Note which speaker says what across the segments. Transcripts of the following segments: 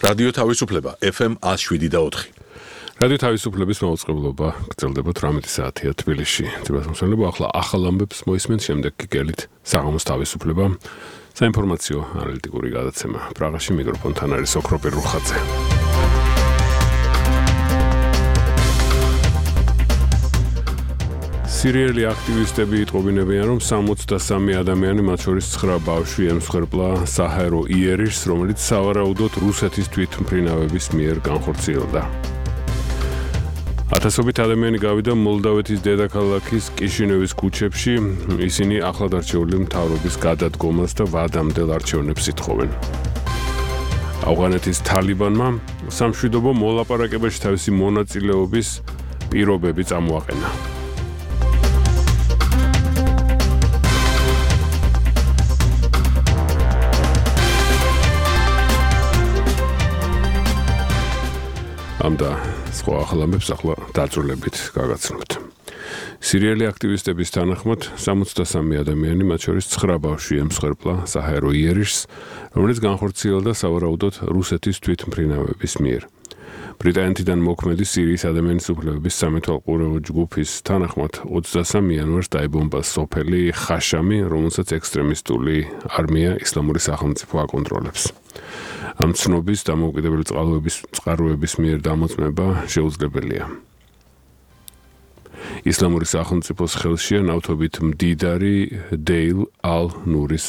Speaker 1: რადიო თავისუფლება FM 107.4.
Speaker 2: რადიო თავისუფლების მაუწყებლობა გრძელდება 18 საათია თბილისში. თბილისში ახლა ახალ ამბებს მოისმენთ, შემდეგ კი გელით საღამოს თავისუფლება. საინფორმაციო ანალიტიკური გადაცემა. პრაღაში მიკროფონთან არის ოქროპირ რუხაძე. სირიელი აქტივისტები იტყობინებიან, რომ 63 ადამიანი, მათ შორის 9 ბავშვი ემსხვერპლა საჰაერო იერიშს, რომელიც სავარაუდოდ რუსეთის თვითმფრინავების მიერ განხორციელდა. ათასობით ადამიანი გავიდა მოლდავეთის დედაქალაქის კიშინევის ქუჩებში, ისინი ახლად არჩეული მთავრობის გადადგომას და ვადამდელ არჩევნებს ითხოვენ. ავღანეთის თალიბანმა სამშვიდობო მოლაპარაკებაში თავისი მონაწილეობის პირობები წამოაყენა. ამ და სხვა ახალ ამბებს ახლა დაწვრილებით გაგაცნობთ. სირიელი აქტივისტების თანახმად 63 ადამიანი, მათ შორის 9 ბავშვი ემსხვერპლა საჰაერო იერიშს, რომელიც განხორციელდა სავარაუდოდ რუსეთის თვითმფრინავების მიერ. ბრიტანეთიდან მოქმედი სირიის ადამიანის უფლებების სამეთვალყურეო ჯგუფის თანახმად 23 იანვარს დაიბომბა სოფელი ხაშამი, რომელსაც ექსტრემისტული არმია ისლამური სახელმწიფო აკონტროლებს. ამ ცნობის დამოუკიდებელი წყაროების მიერ დამოწმება შეუძლებელია. ისლამური სახელმწიფოს ხელშია ნავთობით მდიდარი დეილ ალ-ნურის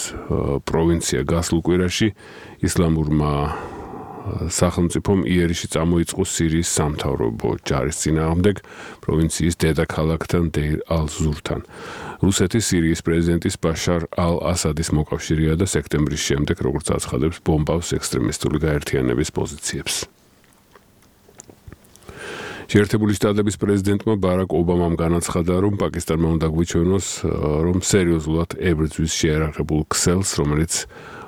Speaker 2: პროვინცია. გასულ კვირაში ისლამურმა სახელმწიფომ იერიში წამოიწყო სირიის სამთავრობო ჯარის წინააღმდეგ პროვინციის დედაქალაქთან დეირ ალ-ზურთან. რუსეთი სირიის პრეზიდენტის ბაშარ ალ-ასადის მოკავშირეა და სექტემბრის შემდეგ, როგორც აცხადებს, ბომბავს ექსტრემისტული გაერთიანების პოზიციებს. შეერთებული შტატების პრეზიდენტმა ბარაკ ობამამ განაცხადა, რომ პაკისტანმა უნდა გვიჩვენოს, რომ სერიოზულად ებრძვის შეიარაღებულ ქსელს, რომელიც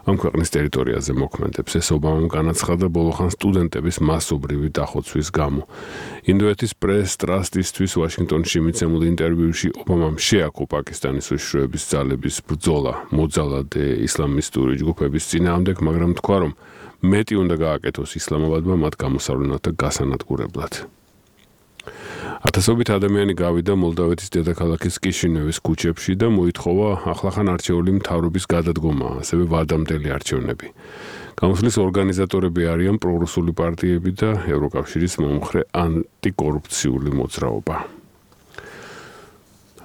Speaker 2: ამ ქვეყნის ტერიტორიაზე მოქმედებს. ეს ობამამ განაცხადა ბოლოხან სტუდენტების მასობრივი დახოცვის გამო. ინდოეთის პრეს ტრასტისთვის ვაშინგტონში მიცემულ ინტერვიუში ობამამ შეაქო პაკისტანის უშიშროების ძალების ბრძოლა მოძალადე ისლამისტური ჯგუფების წინააღმდეგ, მაგრამ თქვა, რომ მეტი უნდა გააკეთოს ისლამაბადმა მათ გამოსავლენად და გასანადგურებლად. ათასობით ადამიანი გავიდა მოლდავეთის დედაქალაქის კიშინევის ქუჩებში და მოითხოვა ახლახან არჩეული მთავრობის გადადგომა, ასევე ვადამდელი არჩევნები. გამოსვლის ორგანიზატორები არიან პრორუსული პარტიები და ევროკავშირის მომხრე ანტიკორუფციული მოძრაობა.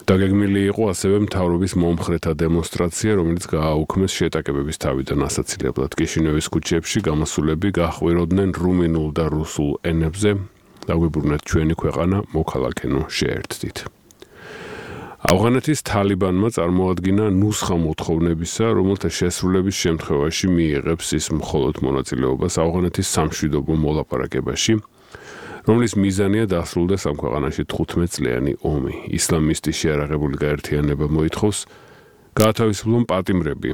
Speaker 2: დაგეგმილი იყო ასევე მთავრობის მომხრეთა დემონსტრაცია, რომელიც გააუქმეს შეტაკებების თავიდან ასაცილებლად. კიშინევის ქუჩებში გამოსვლები გაჰყვიროდნენ რუმინულ და რუსულ ენებზე. დაგვიბრუნეთ ჩვენი ქვეყანა, მოქალაქენო შეერთდით. ავღანეთის თალიბანმა წარმოადგინა ნუსხა მოთხოვნებისა, რომელთა შესრულების შემთხვევაში მიიღებს ის მხოლოდ მონაწილეობას ავღანეთის სამშვიდობო მოლაპარაკებაში, რომლის მიზანია დასრულდეს ამ ქვეყანაში 15 წლიანი ომი. ისლამისტი შეიარაღებული გაერთიანება მოითხოვს გაათავისუფლონ პატიმრები,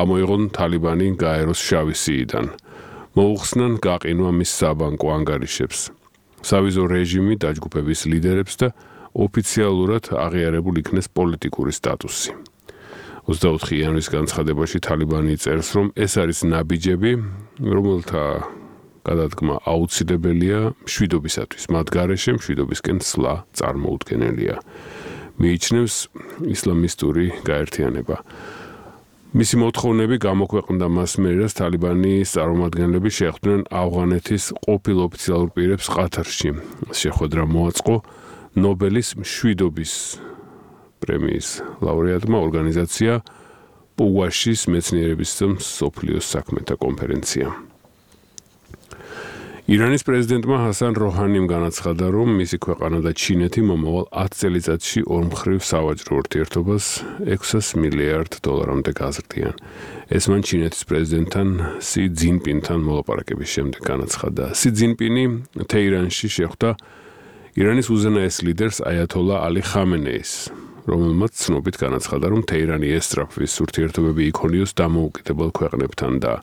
Speaker 2: ამოიღონ თალიბანი გაეროს შავი სიიდან, მოუხსნან გაყინვა მის საბანკო ანგარიშებს. სავიზო რეჟიმი დაჯგუფების ლიდერებს და ოფიციალურად აღიარებულ იქნეს პოლიტიკური სტატუსი. 24 იანვრის განცხადებაში თალიბანი წერს, რომ ეს არის ნაბიჯები, რომელთა გადადგმა აუცილებელია მშვიდობისათვის. მათ გარეშე მშვიდობისკენ სვლა წარმოუდგენელია. მიიჩნევს ისლამისტური გაერთიანება. მისი მოთხოვნები გამოქვეყნდა მასმედიას. თალიბანის წარმომადგენლები შეხვდნენ ავღანეთის ყოფილ ოფიციალურ პირებს ყათარში. შეხვედრა მოაწყო ნობელის მშვიდობის პრემიის ლაურეატმა ორგანიზაცია პუვაშის მეცნიერების მსოფლიოს საქმეთა კონფერენცია. ირანის პრეზიდენტმა ჰასან როჰანიმ განაცხადა, რომ მისი ქვეყანა და ჩინეთი მომავალ 10 წელიწადში ორმხრივ სავაჭრო ურთიერთობას $600 მილიარდამდე გაზრდიან. ეს მან ჩინეთის პრეზიდენტთან სი ძინპინთან მოლაპარაკების შემდეგ განაცხადა. სი ძინპინი თეირანში შეხვდა ირანის უზენაეს ლიდერს აიათოლა ალი ხამენეის, რომელმაც ცნობით განაცხადა, რომ თეირანი ესწრაფვის ურთიერთობები იქონიოს დამოუკიდებელ ქვეყნებთან და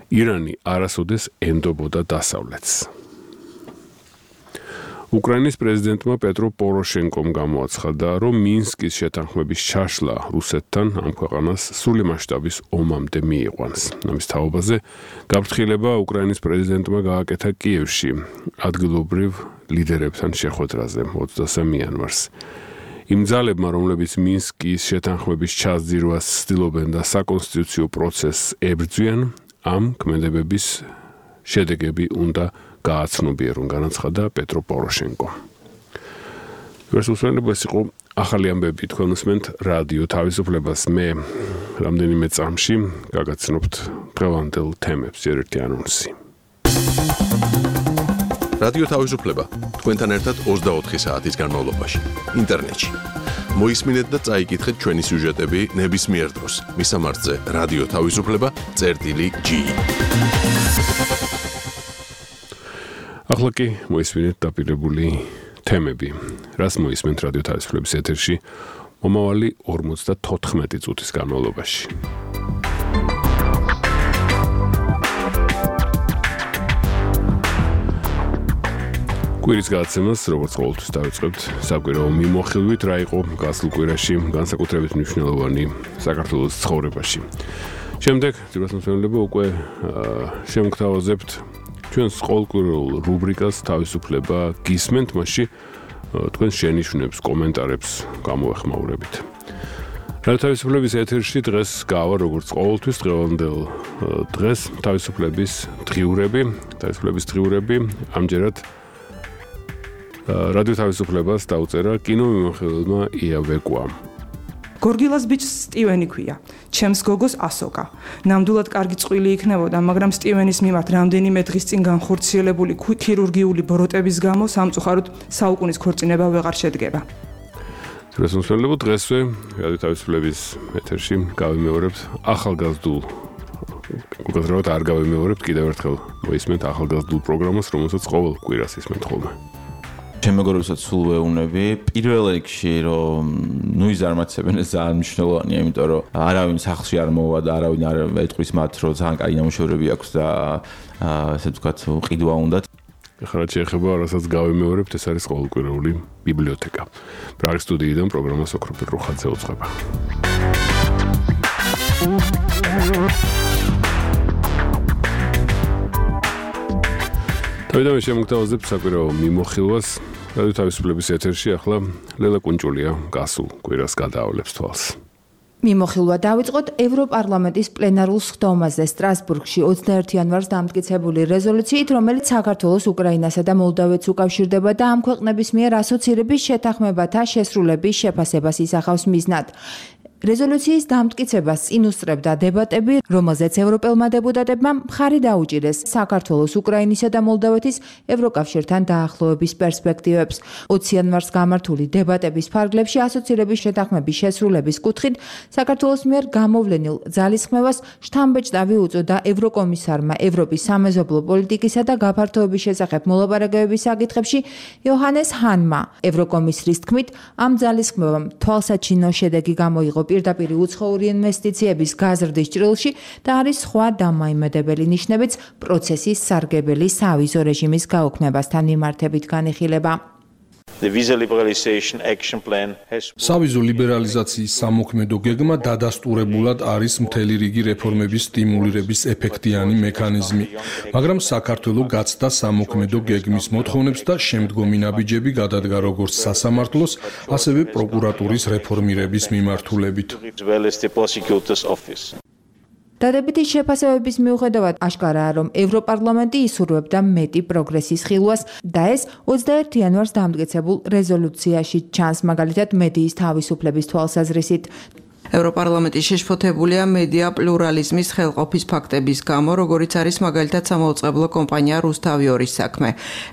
Speaker 2: ირანი არასოდეს ენდობოდა დასავლეთს. უკრაინის პრეზიდენტმა პეტრო პოროშენკომ გამოაცხადა, რომ მინსკის შეთანხმების ჩაშლა რუსეთთან ამ ქვეყანას სრული მასშტაბის ომამდე მიიყვანს. ამის თაობაზე გაფრთხილება უკრაინის პრეზიდენტმა გააკეთა კიევში ადგილობრივ ლიდერებთან შეხვედრაზე 23 იანვარს. იმ ძალებმა, რომლებიც მინსკის შეთანხმების ჩაძირვას ცდილობენ და საკონსტიტუციო პროცესს ებრძვიან, ამ ქმედებების შედეგები უნდა გააცნობიერონ, განაცხადა პეტრო პოროშენკო. ეს იყო ახალი ამბები, თქვენ უსმენთ რადიო თავისუფლებას. მე რამდენიმე წამში გაგაცნობთ დღევანდელ თემებს, ერთ-ერთი ანონსი.
Speaker 1: რადიო თავისუფლება თქვენთან ერთად 24 საათის განმავლობაში ინტერნეტში. მოისმინეთ და წაიკითხეთ ჩვენი სიუჟეტები ნებისმიერ დროს მისამართზე რადიო თავისუფლება.gi.
Speaker 2: ახლა კი მოისმინეთ დაპირებული თემები. რას მოისმენთ რადიო თავისუფლების ეთერში მომავალი 54 წუთის განმავლობაში. კვირის გადაცემას, როგორც ყოველთვის დავიწყებთ საკვირაო მიმოხილვით, რა იყო გასულ კვირაში განსაკუთრებით მნიშვნელოვანი საქართველოს ცხოვრებაში. შემდეგ, ძირფასმოსმენელებო, უკვე შემოგთავაზებთ ჩვენს ყოველკვირეულ რუბრიკას თავისუფლება გისმენთ, მასში თქვენ შენიშვნებს, კომენტარებს გამოეხმაურებით. რადიო თავისუფლების ეთერში დღეს გავა, როგორც ყოველთვის, დღევანდელ დღეს თავისუფლების დღიურები, ამჯერად რადიო თავისუფლებას დაუწერა კინომიმოხილველმა ია ვეკვამ.
Speaker 3: გორგილას ბიჭს სტივენი ქვია, ჩემს გოგოს ასოკა. ნამდვილად კარგი წყვილი იქნებოდა, მაგრამ სტივენის მიმართ რამდენიმე დღის წინ განხორციელებული ქირურგიული ბროტების გამო სამწუხაროდ საუკუნის ქორწინება ვეღარ შედგება.
Speaker 2: ძირფასმოსმენელებო, დღესვე რადიო თავისუფლების ეთერში გავიმეორებთ ახალგაზრდულ უკეთრად არ გავიმეორებთ, კიდევ ერთხელ მოისმენთ ახალგაზრდულ პროგრამას, რომელსაც ყოველ კვირას ისმენთ ხოლმე.
Speaker 4: შემოგორებსაც სულ ვეუბნები, პირველ რიგში, რომ ის წარმატებენ ეს ძალიან მნიშვნელოვანია, იმიტომ რომ არავინ სახლში არ მოვა და არავინ არ ეტყვის მათ, რომ ძალიან კარგი ნამუშევრები აქვს და ესე ვთქვათ, ყიდვა უნდათ.
Speaker 2: ახლა შეეხება რასაც გავიმეორებთ, ეს არის ყოველკვირეული ბიბლიოთეკა. პრაღის სტუდიიდან პროგრამას ოქროპირ რუხაძე უძღვება. თავიდანვე შემოგთავაზებთ საკვირაო მიმოხილვას. რადიო თავისუფლების ეთერში ახლა ლელა კუნჭულია გასულ კვირას გადაავლებს თვალს.
Speaker 5: მიმოხილვა დავიწყოთ ევროპარლამენტის პლენარულ სხდომაზე სტრასბურგში 21 იანვარს დამტკიცებული რეზოლუციით, რომელიც საქართველოს, უკრაინასა და მოლდოვეთს უკავშირდება და ამ ქვეყნების მიერ ასოცირების შეთანხმებათა შესრულების შეფასებას ისახავს მიზნად. რეზოლუციის დამტკიცებას წინ უსწრებდა დებატები, რომელზეც ევროპელმა დეპუტატებმა მხარი დაუჭირეს საქართველოს, უკრაინისა და მოლდოვეთის ევროკავშირთან დაახლოების პერსპექტივებს. 20 იანვარს გამართული დებატების ფარგლებში ასოცირების შეთანხმების შესრულების კუთხით საქართველოს მიერ გამოვლენილ ძალისხმევას შთამბეჭდავი უწოდა ევროკომისარმა ევროპის სამეზობლო პოლიტიკისა და გაფართოების შესახებ მოლაპარაკებების საკითხებში იოჰანეს ჰანმა. ევროკომისრის თქმით, ამ ძალისხმევამ თვალსაჩინო შედეგი გამოიღო პირდაპირ უცხოური ინვესტიციების გაზრდის ჭრილში და არის სხვა დამაიმედებელი ნიშნებიც პროცესის სარგებელი სავიზო რეჟიმის გაუქმებასთან მიმართებით განიხილება.
Speaker 6: სავიზო ლიბერალიზაციის სამოქმედო გეგმა დადასტურებულად არის მთელი რიგი რეფორმების სტიმულირების ეფექტიანი მექანიზმი, მაგრამ საქართველოს გაცდა სამოქმედო გეგმის მოთხოვნებს და შემდგომი ნაბიჯები გადადგა როგორც სასამართლოს, ასევე პროკურატურის რეფორმირების მიმართულებით.
Speaker 5: დადებითი შეფასებების მიუხედავად აშკარაა, რომ ევროპარლამენტი ისურვებდა მეტი პროგრესის ხილვას და ეს 21 იანვარს დამტკიცებულ რეზოლუციაში ჩანს, მაგალითად მედიის თავისუფლების თვალსაზრისით.
Speaker 7: ევროპარლამენტი შეშფოთებულია მედია პლურალიზმის ხელყოფის ფაქტების გამო, როგორიც არის მაგალითად სამაუწყებლო კომპანია რუსთავიორის საქმე.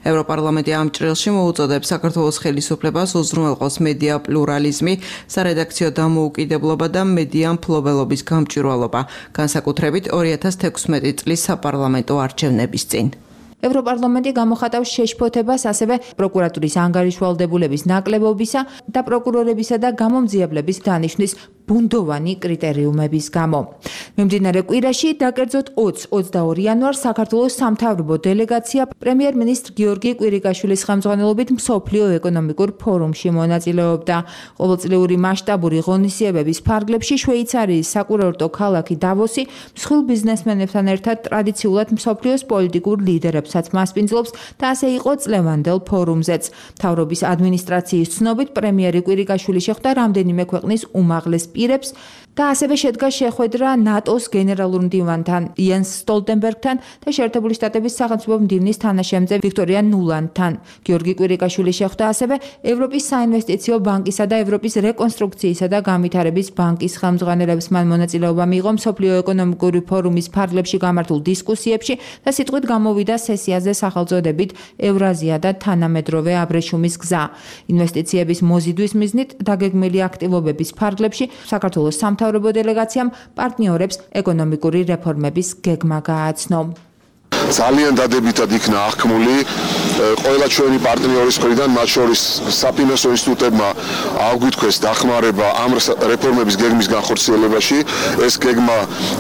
Speaker 7: ევროპარლამენტი ამ ჭრილში მოუწოდებს საქართველოს ხელისუფლებას უზრუნველყოს მედია პლურალიზმი, სარედაქციო დამოუკიდებლობა და მედია მფლობელობის გამჭვირვალობა, განსაკუთრებით 2016 წლის საპარლამენტო არჩევნების წინ.
Speaker 5: ევროპარლამენტი გამოხატავს შეშფოთებას ასევე პროკურატურის ანგარიშვალდებულების ნაკლებობისა და პროკურორებისა და გამომძიებლების დანიშვნის ბუნდოვანი კრიტერიუმების გამო. მიმდინარე კვირაში დაკერძოდ 20-22 იანვარს საქართველოს სამთავრობო დელეგაცია პრემიერ-მინისტრ გიორგი კვირიკაშვილის ხელმძღვანელობით მსოფლიო ეკონომიკურ ფორუმში მონაწილეობდა. ყოველწლიური მასშტაბური ღონისძიებების ფარგლებში შვეიცარიის საკურორტო ქალაქი დავოსი მსხვილ ბიზნესმენებთან ერთად ტრადიციულად მსოფლიოს პოლიტიკურ ლიდერებსაც მასპინძლობს და ასე იყო წლევანდელ ფორუმზეც. მთავრობის ადმინისტრაციის ცნობით პრემიერი კვირიკაშვილი შეხვდა რამდენიმე ქვეყნის უმაღლეს პირებს და ასევე შედგა შეხვედრა ნატოს გენერალურ მდივანთან იენს სტოლტენბერგთან და შეერთებული შტატების სახელმწიფო მდივნის თანაშემწე ვიქტორია ნულანდთან. გიორგი კვირიკაშვილი შეხვდა ასევე ევროპის საინვესტიციო ბანკისა და ევროპის რეკონსტრუქციისა და განვითარების ბანკის ხელმძღვანელებს. მან მონაწილეობა მიიღო მსოფლიო ეკონომიკური ფორუმის ფარგლებში გამართულ დისკუსიებში და სიტყვით გამოვიდა სესიაზე სახელწოდებით ევრაზია და თანამედროვე აბრეშუმის გზა. ინვესტიციების მოზიდვის მიზნით დაგეგმილი აქტივობების ფარგლებში საქართველოს სამთავრობო დელეგაციამ პარტნიორებს ეკონომიკური რეფორმების გეგმა გააცნო.
Speaker 8: ძალიან დადებითად იქნა აღქმული ყველა ჩვენი პარტნიორის მხრიდან, მათ შორის საფინანსო ინსტიტუტებმა აღვიქვეს დახმარება ამ რეფორმების გეგმის განხორციელებაში. ეს გეგმა,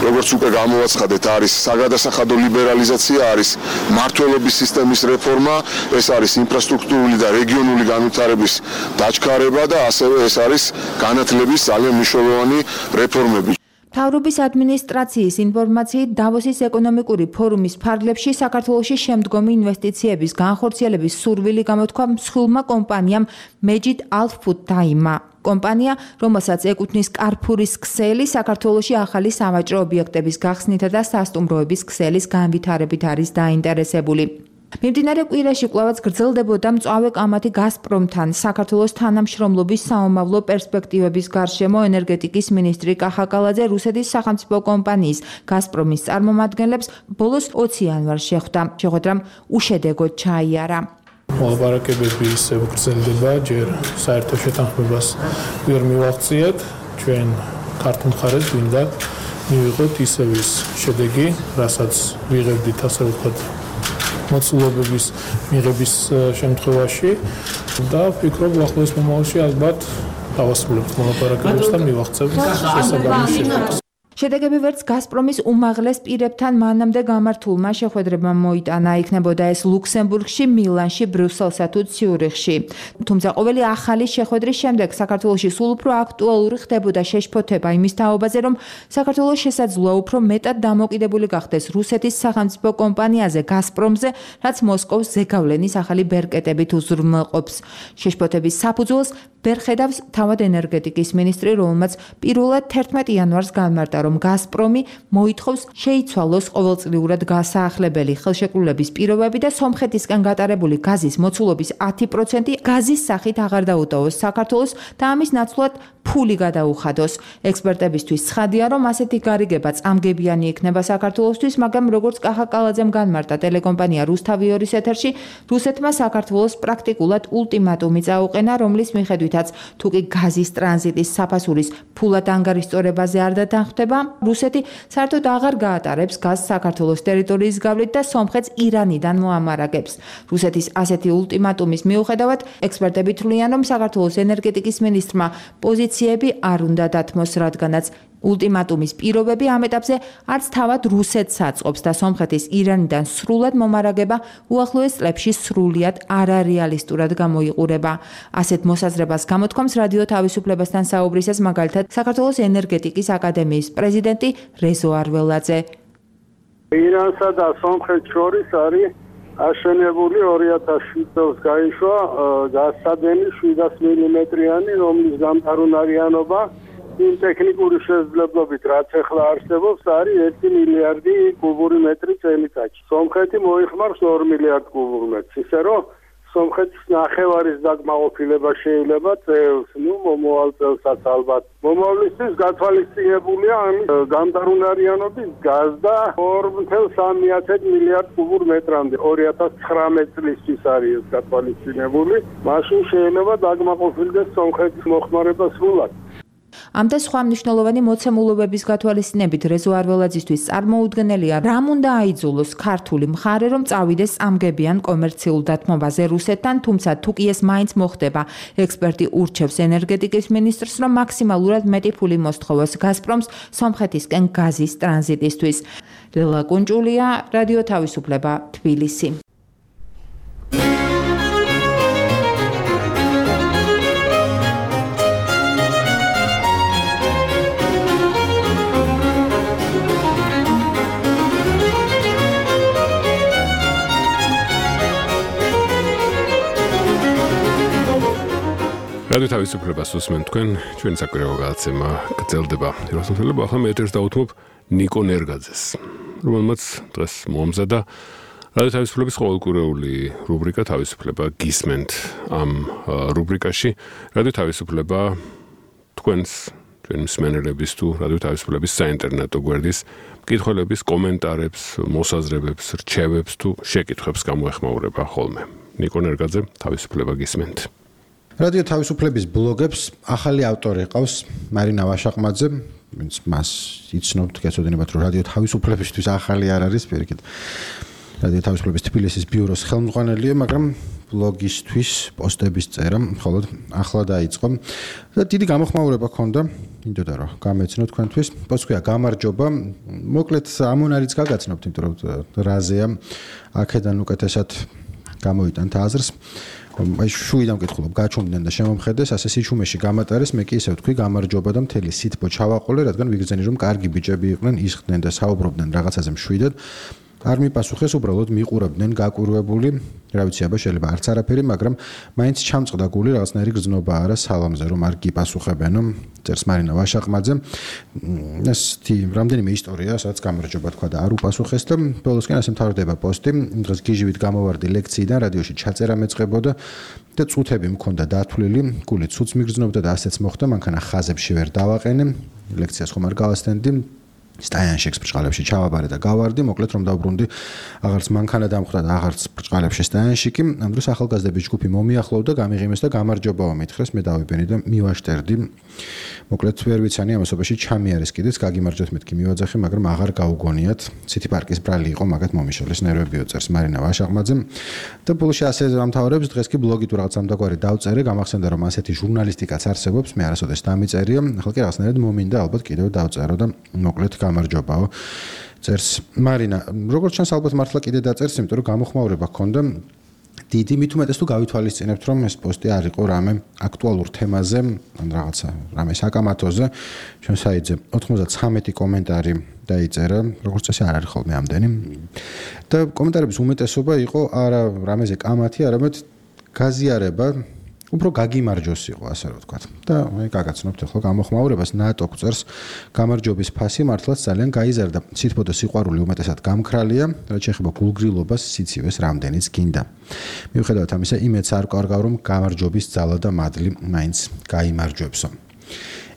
Speaker 8: როგორც უკვე გამოვაცხადეთ, არის საგადასახადო ლიბერალიზაცია, არის მმართველობის სისტემის რეფორმა, ეს არის ინფრასტრუქტურული და რეგიონული განვითარების დაჩქარება და ასევე ეს არის განათლების ძალიან მნიშვნელოვანი რეფორმები.
Speaker 5: მთავრობის ადმინისტრაციის ინფორმაციით დავოსის ეკონომიკური ფორუმის ფარგლებში საქართველოში შემდგომი ინვესტიციების განხორციელების სურვილი გამოთქვა მსხვილმა კომპანიამ Majid Al Futtaimმა. კომპანია, რომელსაც ეკუთვნის კარფურის ქსელი, საქართველოში ახალი სავაჭრო ობიექტების გახსნითა და სასტუმროების ქსელის განვითარებით არის დაინტერესებული. მიმდინარე კვირაში კვლავაც გრძელდებოდა მწვავე კამათი გაზპრომთან საქართველოს თანამშრომლობის საომავლო პერსპექტივების გარშემო ენერგეტიკის მინისტრი კახა კალაძე რუსეთის სახელმწიფო კომპანიის გაზპრომის წარმომადგენლებს ბოლოს 20 იანვარს შეხვდა. შეხვედრამ უშედეგოდ ჩაიარა.
Speaker 9: მოლაპარაკებები ისევ გრძელდება, ჯერ საერთო შეთანხმებას ვერ მივაღწიათ, ჩვენ ქართულ მხარეს გვინდა მივიღოთ ისევ ის შედეგი, რასაც ვიღებდით ასე ვთქვათ მოცულობების მიღების შემთხვევაში და ვფიქრობ ახლოს მომავალში ალბათ დავასრულებთ მოლაპარაკებებს და მივაღწევთ შესაბამის შედეგს.
Speaker 5: შედეგები ვერც გაზპრომის უმაღლეს პირებთან მანამდე გამართულმა შეხვედრებმა მოიტანა, იქნებოდა ეს ლუქსემბურგში, მილანში, ბრიუსელსა თუ ციურიხში. თუმცა ყოველი ახალი შეხვედრის შემდეგ საქართველოში სულ უფრო აქტუალური ხდებოდა შეშფოთება იმის თაობაზე, რომ საქართველოს შესაძლოა უფრო მეტად დამოკიდებული გახდეს რუსეთის სახელმწიფო კომპანიაზე გაზპრომზე, რაც მოსკოვს ზეგავლენის ახალი ბერკეტებით უზრუნველყოფს. შეშფოთების საფუძველს ვერ ხედავს თავად ენერგეტიკის მინისტრი, რომელმაც პირველად 11 იანვარს განმარტა, რომ გაზპრომი მოითხოვს შეიცვალოს ყოველწლიურად გასაახლებელი ხელშეკრულების პირობები და სომხეთისგან გატარებული გაზის მოცულობის 10% გაზის სახით აღარ დაუტოვოს საქართველოს და ამის ნაცვლად ფული გადაუხადოს. ექსპერტებისთვის ცხადია, რომ ასეთი გარიგება წამგებიანი იქნება საქართველოსთვის, მაგრამ როგორც კახა კალაძემ განმარტა ტელეკომპანია რუსთავიორის ეთერში, რუსეთმა საქართველოს პრაქტიკულად ულტიმატუმი წაუყენა, რომლის მიხედვითაც თუ კი გაზის ტრანზიტის საფასურის ფულად ანგარიშწორებაზე არ დათანხმდება, რუსეთი საერთოდ აღარ გაატარებს გაზს საქართველოს ტერიტორიის გავლით და სომხეთს ირანიდან მოამარაგებს. რუსეთის ასეთი ულტიმატუმის მიუხედავად, ექსპერტები თვლიან, რომ საქართველოს ენერგეტიკის მინისტრმა პოზიციები არ უნდა დათმოს, რადგანაც ულტიმატუმის პირობები ამ ეტაპზე არც თავად რუსეთს აწყობს და სომხეთის ირანიდან სრულად მომარაგება უახლოეს წლებში სრულიად არარეალისტურად გამოიყურება. ასეთ მოსაზრებას გამოთქვამს რადიო თავისუფლებასთან საუბრისას მაგალითად საქართველოს ენერგეტიკის აკადემიის პრეზიდენტი რეზო არველაძე.
Speaker 10: ირანსა და სომხეთს შორის არის აშენებული 2007 წელს გაიშვა გაზსადენი 700 მმ-იანი, რომლის გამტარუნარიანობა იმ ტექნიკური შესაძლებლობით, რაც ახლა არსებობს, არის 1 მილიარდი კუბური მეტრი წელიწადში. სომხეთი მოიხმარს 2 მილიარდ კუბურ მეტრს, ისე რომ სომხეთის ნახევარის დაკმაყოფილება შეიძლება წელს, მომავალ წელსაც ალბათ. მომავლისთვის გათვალისწინებულია ამის გამტარუნარიანობის გაზდა 2.3 მილიარდ კუბურ მეტრამდე. 2019 წლისთვის არის ეს გათვალისწინებული. მაშინ შეიძლება დაკმაყოფილდეს სომხეთის მოხმარება სრულად.
Speaker 5: ამ და სხვა მნიშვნელოვანი მოცემულობების გათვალისწინებით რეზო არველაძისთვის წარმოუდგენელია, რამ უნდა აიძულოს ქართული მხარე, რომ წავიდეს წამგებიან კომერციულ დათმობაზე რუსეთთან, თუმცა თუ კი ეს მაინც მოხდება, ექსპერტი ურჩევს ენერგეტიკის მინისტრს, რომ მაქსიმალურად მეტი ფული მოსთხოვოს გაზპრომს სომხეთისკენ გაზის ტრანზიტისთვის. ლელა კუნჭულია, რადიო თავისუფლება, თბილისი.
Speaker 2: რადიო თავისუფლებას უსმენთ თქვენ, ჩვენი საკვირაო გადაცემა გრძელდება. რუსეთელებ ახლა მე ეთერს დავუთმობ ნიკო ნერგაძეს, რომელმაც დღეს მოამზადა რადიო თავისუფლების ყოველკვირეული რუბრიკა თავისუფლება გისმენთ. ამ რუბრიკაში რადიო თავისუფლება თქვენს ჩვენი მსმენელების თუ რადიო თავისუფლების საინტერნეტო გვერდის მკითხველების კომენტარებს, მოსაზრებებს, რჩევებს თუ შეკითხვებს გამოეხმაურება ხოლმე. ნიკო ნერგაძე, თავისუფლება გისმენთ.
Speaker 11: რადიო თავისუფლების ბლოგებს ახალი ავტორი ყავს მარინა ვაშაყმაძე, ვინც მას იცნობთ, გეცოდინებათ, რომ რადიო თავისუფლებისთვის ახალი არ არის, პირიქით. რადიო თავისუფლების თბილისის ბიუროს ხელმძღვანელია, მაგრამ ბლოგისთვის პოსტების წერა მხოლოდ ახლა დაიწყო და დიდი გამოხმაურება ჰქონდა, იმიტომ რომ გამეცნო თქვენთვის. პოსტქვია გამარჯობა, მოკლედ ამონარიც გაგაცნობთ, იმიტომ რომ რაზეა აქედან უკეთესად გამოიტანთ აზრს. აი შუიდან მკითხულობ, გაჩვენდნენ და შემომხედეს, ასე სიჩუმეში გამატარეს, მე კი ისე ვთქვი, გამარჯობა და მთელი სითბო ჩავაყოლე, რადგან ვიგრძენი რომ კარგი ბიჭები იყვნენ, ისხდნენ და საუბრობდნენ რაღაცაზე მშვიდად. არ მიპასუხეს, უბრალოდ მიყურებდნენ გაკვირვებული, რა ვიცი, აბა შეიძლება არც არაფერი, მაგრამ მაინც ჩამწყდა გული, რაღაცნაირი გრძნობა არა სალამზე, რომ არ გიპასუხებენო, წერს მარინა ვაშაყმაძე. ეს რამდენიმე ისტორია, სადაც გამარჯობა თქვა და არ უპასუხეს და ბოლოსკენ ასე მთავრდება პოსტი. დღეს გიჟივით გამოვარდი ლექციიდან, რადიოში ჩაწერა მეწყებოდა და წუთები მქონდა დათვლილი, გული ცუც მიგრძნობდა და ასეც მოხდა, მანქანა ხაზებში ვერ დავაყენე, ლექციას ხომ არ გავასწენდი. სტაიანშექს ბრჭყალებში ჩავაბარე და გავარდი, მოკლედ რომ დავბრუნდი, აღარც მანქანა დამხვდა და აღარც ბრჭყალებში სტაიანშიკი. ამ დროს ახალგაზრდების ჯგუფი მომიახლოვდა, გამიღიმეს და გამარჯობაო მითხრეს, მე დავიბენი და მივაშტერდი. მოკლედ ვერ ვიცანი ამასობაში ჩამიარეს კიდეც, გაგიმარჯოთ მეთქი მივაძახე, მაგრამ აღარ გაუგონიათ. ციტი პარკის ბრალი იყო, მაგათ მომიშალეს ნერვებიო, წერს მარინა ვაშაყმაძე. და ბოლოში ასე ამთავრებს, დღეს კი ბლოგი თუ რაღაც ამდაგვარი დავწერე, გამახსენდა რომ ასეთი ჟურნალისტიკაც არსებობს, მე არასოდეს დამიწერია, ახლა კი რაღაცნაირად მომინდა ალბათ კიდევ დავწერო და მოკლედ გამარჯობაო, წერს მარინა. როგორც ჩანს ალბათ მართლა კიდე დაწერს, იმიტომ რომ გამოხმაურება ჰქონდა დიდი, მით უმეტეს თუ გავითვალისწინებთ, რომ ეს პოსტი არ იყო რამე აქტუალურ თემაზე, ან რაღაცა რამე საკამათოზე, ჩვენ საიტზე 93 კომენტარი დაიწერა, როგორც წესი არ არის ხოლმე ამდენი. და კომენტარების უმეტესობა იყო არა რამეზე კამათი, არამედ გაზიარება, უფრო გაგიმარჯოს იყო, ასე რომ ვთქვათ. და აი გაგაცნობთ ახლა გამოხმაურებას, ნატო წერს, გამარჯობის ფასი მართლაც ძალიან გაიზარდა. სითბო და სიყვარული უმეტესად გამქრალია, რაც შეეხება გულგრილობას, სიცივეს რამდენიც გინდა. მიუხედავად ამისა, იმედს არ კარგავ, რომ გამარჯობის ძალა და მადლი მაინც გაიმარჯვებსო.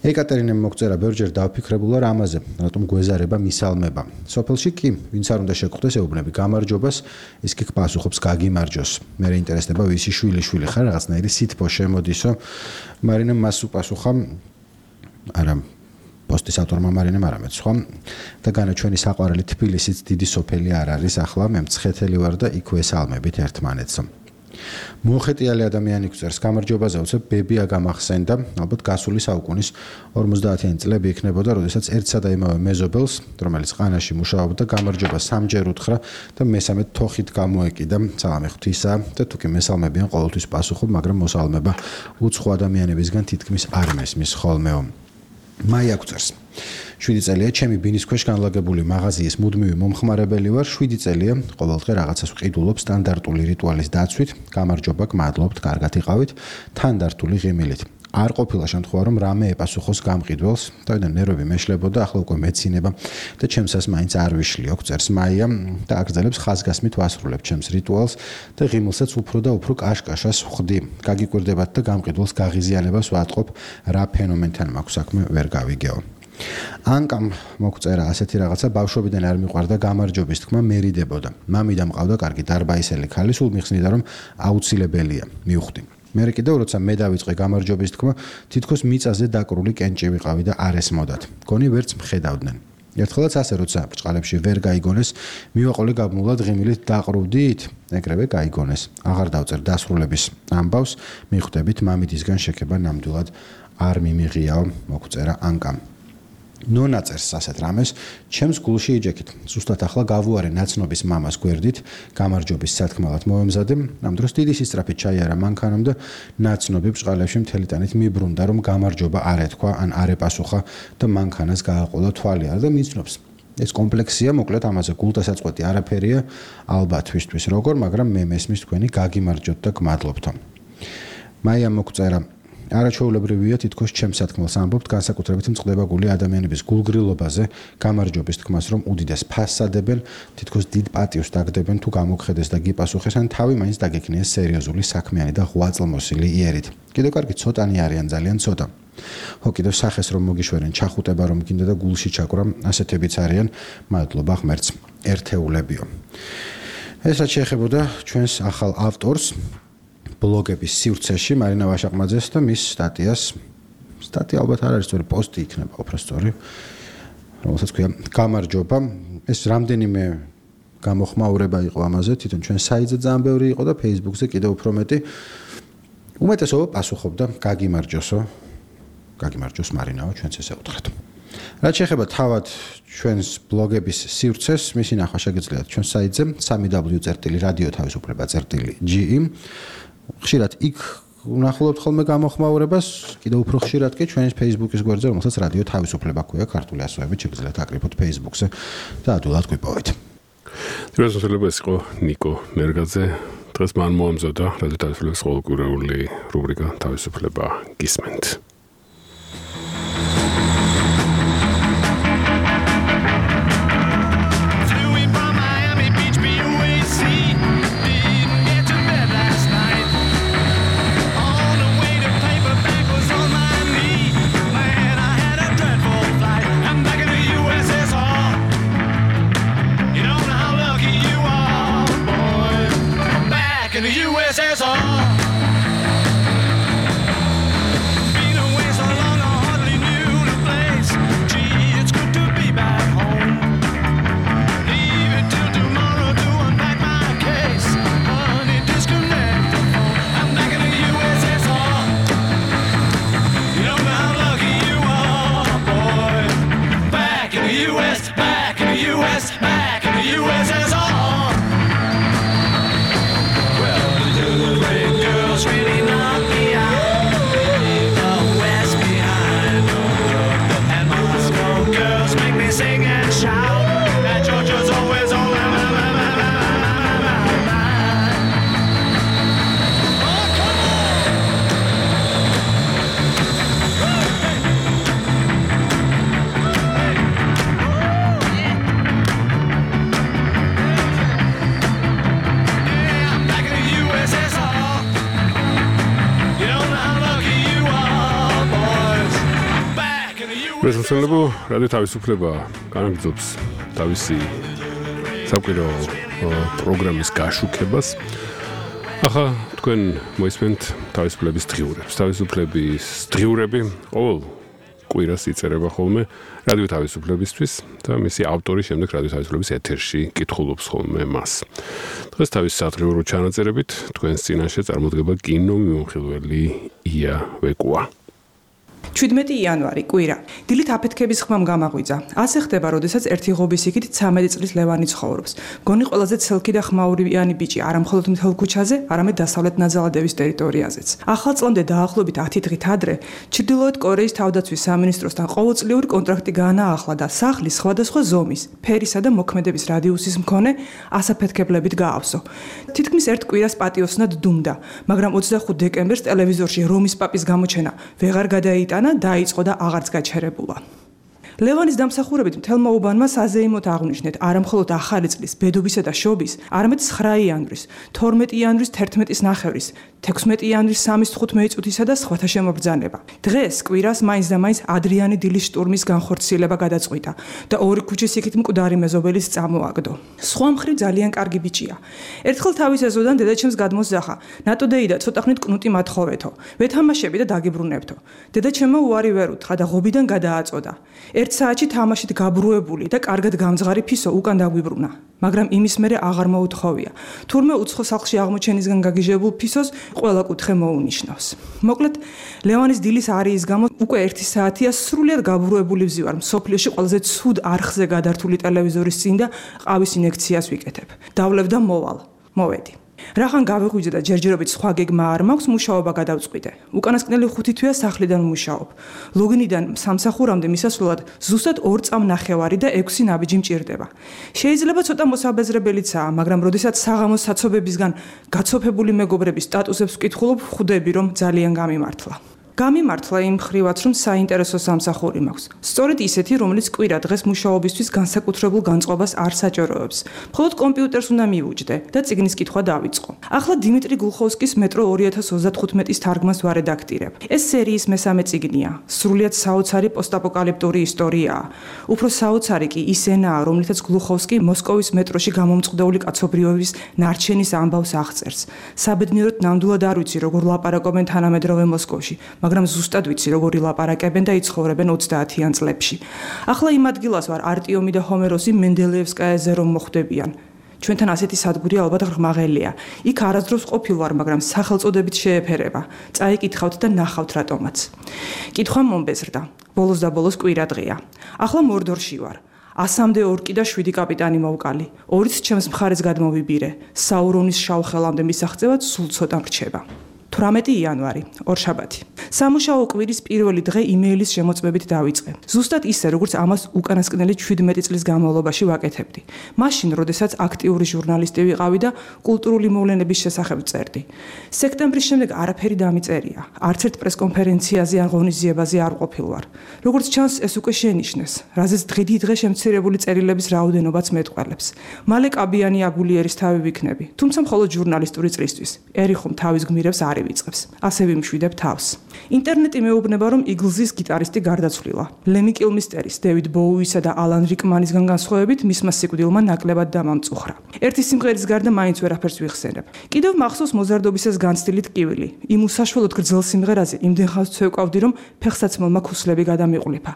Speaker 11: ეკატერინემ მოგწერა, ბევრჯერ დავფიქრებულა რამაზე, რატომ გვეზარება მისალმება. სოფელში კი, ვინც არ უნდა შეგხვდეს, ეუბნები გამარჯობას, ის კი პასუხობს გაგიმარჯოს. მე რეინტერესდება, ვისი შვილი ხარ, რაღაცნაირი სითბო შემოდისო. მარინემ მას უპასუხა, არა პოსტის ავტორმა მარინემ არამედ სხვა და განაჩვენი საყვარელი თბილისიც დიდი სოფელი არ არის, ახლა მე მცხეთელი ვარ და იქვე ესალმებით ერთმანეთსო. მოხეტიალი ადამიანი გვწერს, გამარჯობაზე უცებ ბებია გამახსენდა, ალბათ გასული საუკუნის 50-იანი წლები იქნებოდა, როდესაც ერთსა და იმავე მეზობელს, რომელიც ყანაში მუშაობდა, გამარჯობა სამჯერ უთხრა და მესამედ თოხით გამოეკიდა, სალამი ღვთისა და თუკი მესალმებიან ყოველთვის პასუხობ, მაგრამ მოსალმება უცხო ადამიანებისგან თითქმის არ მესმის ხოლმეო. მაია გვწერს, 7 წელია ჩემი ბინის ქვეშ განლაგებული მაღაზიის მუდმივი მომხმარებელი ვარ, 7 წელია ყოველდღე რაღაცას ვყიდულობ სტანდარტული რიტუალის დაცვით, გამარჯობა, გმადლობთ, კარგად იყავით, თანდართული ღიმილით. არ ყოფილა შემთხვევა, რომ რამე ეპასუხოს გამყიდველს, თავიდან ნერვები მეშლებოდა, ახლა უკვე მეცინება და ჩემსას მაინც არ ვიშლიო, წერს მაია და აგრძელებს ხაზგასმით ვასრულებ ჩემს რიტუალს და ღიმილსაც უფრო და უფრო კაშკაშას ვხდი. გაგიკვირდებათ და გამყიდველს გაღიზიანებას ვატყობ, რა ფენომენთან მაქვს საქმე, ვერ გავიგეო. ანკამ მოგწერა ასეთი რაღაცა, ბავშვობიდან არ მიყვარდა გამარჯობის თქმა, მერიდებოდა. მამიდამ ყავდა კარგი დარბაისელი ქალი, სულ მიხსნიდა რომ აუცილებელია, მივხვდი. მე კიდევ როცა მე დავიწყე გამარჯვების თქმა, თითქოს მიწაზე დაკრული კენჭი ვიყავი და არ ესმოდათ. გონი ვერც მხედავდნენ. ერთხელაც ასე როცა ბრჭყალებში ვერ გაიგონეს, მივაყოლე გაბმულად ღიმილით დაყრუდით, ეგრევე გაიგონეს. აღარ დავწერ დასრულების ამბავს, მიხვდებით მამიდისგან შექება ნამდვილად არ მიმიღიაო, მოგვწერა ანკამ. ნონა წერს ასეთ რამეს, ჩემს გულში იჯექით. ზუსტად ახლა გავუარე ნაცნობის მამას გვერდით, გამარჯვების სათქმელად მოვემზადე, ამ დროს დიდი სისწრაფით ჩაიარა მანქანამ და ნაცნობი ბრჭყალებში მთელი ტანით მიბრუნდა, რომ გამარჯობა არ ეთქვა, ან არ ეპასუხა და მანქანას გააყოლა თვალი არ და მიცნობს. ეს კომპლექსია, მოკლედ ამაზე გულდასაწყვეტი არაფერია, ალბათ თვისთვის როგორ, მაგრამ მე მესმის თქვენი გაგიმარჯვოთ და გმადლობთო. მაია მოგწერა არაჩვეულებრივია თითქოს ჩემს სათქმელს ამბობთ განსაკუთრებით მწყდება გული ადამიანების გულგრილობაზე გამარჯვების თქმას რომ უდიდეს ფასს ადებენ თითქოს დიდ პატივს დაგდებენ თუ გამოგხედეს და გიპასუხეს ან თავი მაინც დაგექნიეს სერიოზული საქმიანი და ღვაწლმოსილი იერით კიდევ კარგი ცოტანი არიან ძალიან ცოტა ხო კიდევ სახეს რომ მოგიშვერენ ჩახუტება რომ გინდა და გულში ჩაკვრა ასეთებიც არიან მადლობა ღმერთს ერთეულებიო ეს რაც შეეხებოდა ჩვენს ახალ ავტორს ბლოგების სივრცეში მარინა ვაშაყმაძეს და მის სტატია ალბათ არ არის სწორი პოსტი იქნება უბრალოდ რომელსაც ქვია გამარჯობა ეს რამდენიმე გამოხმაურება იყო ამაზე თვითონ ჩვენ საიტზე ძალიან ბევრი იყო და Facebook-ზე კიდევ უფრო მეტი უმეტესობა პასუხობდა გაგიმარჯოს მარინაო ჩვენც ესე უთხრათ რაც შეეხება თავად ჩვენს ბლოგების სივრცეს მისი ნახვა შეგიძლიათ ჩვენ საიტზე www.radiotavisufleba.ge ხშირად იქ ვნახულობთ ხოლმე გამოხმაურებას, კიდევ უფრო ხშირად კი ჩვენის Facebook-ის გვერდზე, რომელსაც რადიო თავისუფლება ქვია ქართული ასოებით, შეგიძლიათ აკრიფოთ Facebook-ზე და ადვილად გვიპოვეთ.
Speaker 2: დღესდღეობით ეს იყო ნიკო ნერგაძე. დღეს მან მოამზადა რადიო თავისუფლების ყოველკვირეული რუბრიკა თავისუფლება გისმენთ. შესაძლებლო რადიო თავისუფლება განაგრძობს თავისი საკვირაო პროგრამის გაშუქებას. ახლა თქვენ მოისმენთ თავისუფლების დღიურებს. თავისუფლების დღიურები ყოველ კვირას იწერება ხოლმე რადიო თავისუფლებისთვის და მისი ავტორი შემდეგ რადიო თავისუფლების ეთერში კითხულობს ხოლმე მას. დღეს თავის სადღიურო ჩანაწერებით თქვენს წინაშე წარმოდგება კინომიმხილველი ია ვეკუა.
Speaker 3: 17 იანვარი კვირა. დილით აფეთქების ხმამ გამაღვიძა. ასე ხდება, როდესაც ერთი ღობის იქით 13 წლის ლევანი ცხოვრობს. გონი ყველაზე ცელქი და ხმაურიანი ბიჭი, არა მხოლოდ მთელ ქუჩაზე, არამედ დასავლეთ ნაძალადევის ტერიტორიაზეც. ახლწლამდე დაახლოებით 10 დღით ადრე, ჩრდილოეთ კორეის თავდაცვის სამინისტროსთან ყოველწლიური კონტრაქტი გაანაახლა და სახლის სხვადასხვა ზომის, ფერისა და მოქმედების რადიუსის მქონე ასაფეთქებლებით გაავსო. თითქმის ერთ კვირას პატიოსნად დუმდა, მაგრამ 25 დეკემბერს ტელევიზორში რომის პაპის გამოჩენა ვეღარ გადაიტანა დაიწყო და აღარც გაჩერებულა. ლევანის დამსახურებით მთელმა უბანმა საზეიმოდ აღნიშნეთ არამხოლოდ ახალი წლის, ბედობისა და შობის, არამედ 9 იანვრის, 12 იანვრის 11-ის ნახევრის, 16 იანვრის 3-5 წუთისა და სხვათა შემობრძანება. დღეს კვირას მაინც და მაინც ადრიანი დილის შტურმის განხორციელება გადაწყვიტა და ორი ქუჩის იქით მკვდარი მეზობელის წამოაგდო. სხვა მხრივ ძალიან კარგი ბიჭია. ერთხელ თავის ეზოდან დედაჩემს გადმოსძახა. ნატოდეი და ცოტა ხნით კნუტი მათხოვეთო. ვეთამაშები და დაგიბრუნებთო. დედაჩემმა უარი ვერ უთხრა და ღობიდან გადააწოდა. ერთ საათში თამაშით გაბრუებული და კარგად გამძღარი ფისო უკან დაგვიბრუნა. მაგრამ იმის მერე აღარ მოუთხოვია. თურმე უცხო სახლში აღმოჩენისგან გაგიჟებულ ფისოს ყველა კუთხე მოუნიშნავს. მოკლედ, ლევანის დილის არიის გამო უკვე 1 საათია სრულიად გაბრუებული ვზივარ მსოფლიოში ყველაზე ცუდ არხზე გადართული ტელევიზორის წინ და ყავის ინექციას ვიკეთებ. დავლევ და მოვალ. მოვედი. რახან გავიღვიძე და ჯერჯერობით სხვა გეგმა არ მაქვს, მუშაობა გადავწყვიტე. უკანასკნელი 5 თვეა სახლიდან ვმუშაობ. ლოგინიდან სამსახურამდე მისასვლელად ზუსტად 2 წამნახევარი და 6 ნაბიჯი მჭირდება. შეიძლება ცოტა მოსაბეზრებელიცაა, მაგრამ როდესაც საღამოს საცობებისგან გაცოფებული მეგობრების სტატუსებს ვკითხულობ, ხვდები რომ ძალიან გამიმართლა. გამიმართლა იმ ხრივაც, რომ საინტერესო სამსახური მაქვს. სწორედ ისეთი, რომელიც კვირა დღეს მუშაობისთვის განსაკუთრებულ განწყობას არ საჭიროებს. მხოლოდ კომპიუტერს უნდა მივუჯდე და წიგნის კითხვა დავიწყო. ახლა დიმიტრი გულხოვსკის მეტრო 2035-ის თარგმანს ვარედაქტირებ. ეს სერიის მესამე წიგნია. სრულიად საოცარი პოსტაპოკალიფტური ისტორიაა. უფრო საოცარი კი ის ენაა, რომლითაც გულხოვსკი მოსკოვის მეტროში გამომწყდეული კაცობრიობის ნარჩენის ამბავს აღწერს. საბედნიეროდ ნამდვილად არ ვიცი, როგორ ლაპარაკობენ თანამედროვე მოსკოვში. მაგრამ ზუსტად ვიცი, როგორი ლაპარაკებენ და იცხოვრებენ 30-იან წლებში. ახლა იმ ადგილას ვარ არტიომი და ჰომეროსი მენდელეევსკაიაზე რომ მოხვდებიან. ჩვენთან ასეთი სადგური ალბათ ღრმაღელია. იქ არასდროს ყოფილ ვარ, მაგრამ სახელწოდებით შეეფერება. წაიკითხავთ და ნახავთ რატომაც. კითხვა მომბეზრდა. ბოლოს და ბოლოს კვირა დღეა. ახლა მორდორში ვარ. 100-მდე ორკი და 7 კაპიტანი მოვკალი. 2-ც ჩემს მხარეს გადმოვიბირე. საურონის შავხელამდე მისაღწევად სულ ცოტა მრჩება. 18 იანვარი, ორშაბათი. სამუშაო კვირის პირველი დღე იმეილის შემოწმებით დავიწყე. ზუსტად ისე, როგორც ამას უკანასკნელი 17 წლის განმავლობაში ვაკეთებდი. მაშინ, როდესაც აქტიური ჟურნალისტი ვიყავი და კულტურული მოვლენების შესახებ წერდი. სექტემბრის შემდეგ არაფერი დამიწერია. არც ერთ პრესკონფერენციაზე ან ღონისძიებაზე არ ყოფილ ვარ. როგორც ჩანს, ეს უკვე შენიშნეს, რაზეც დღე შემცირებული წერილების რაოდენობაც მეტყველებს. მალე კაბიანი აგულიერის თავი ვიქნები, თუმცა მხოლოდ ჟურნალისტური წრისთვის. ერიხომ თავის გმირებს არ ვიწყებს. ასე ვიმშვიდებ თავს. ინტერნეტი მეუბნება, რომ იგლზის გიტარისტი გარდაცვლილა. ლემი კილმისტერის, დევიდ ბოუისა და ალან რიკმანისგან განსხვავებით, მისმა სიკვდილმა ნაკლებად დამამწუხრა. ერთი სიმღერის გარდა მაინც ვერაფერს ვიხსენებ. კიდევ მახსოვს მოზარდობისას განცდილი ტკივილი. იმ უსაშველოდ გრძელ სიმღერაზე იმდენ ხანს ვცევკავდი, რომ ფეხსაცმელმა ქუსლები გადამიყლიფა.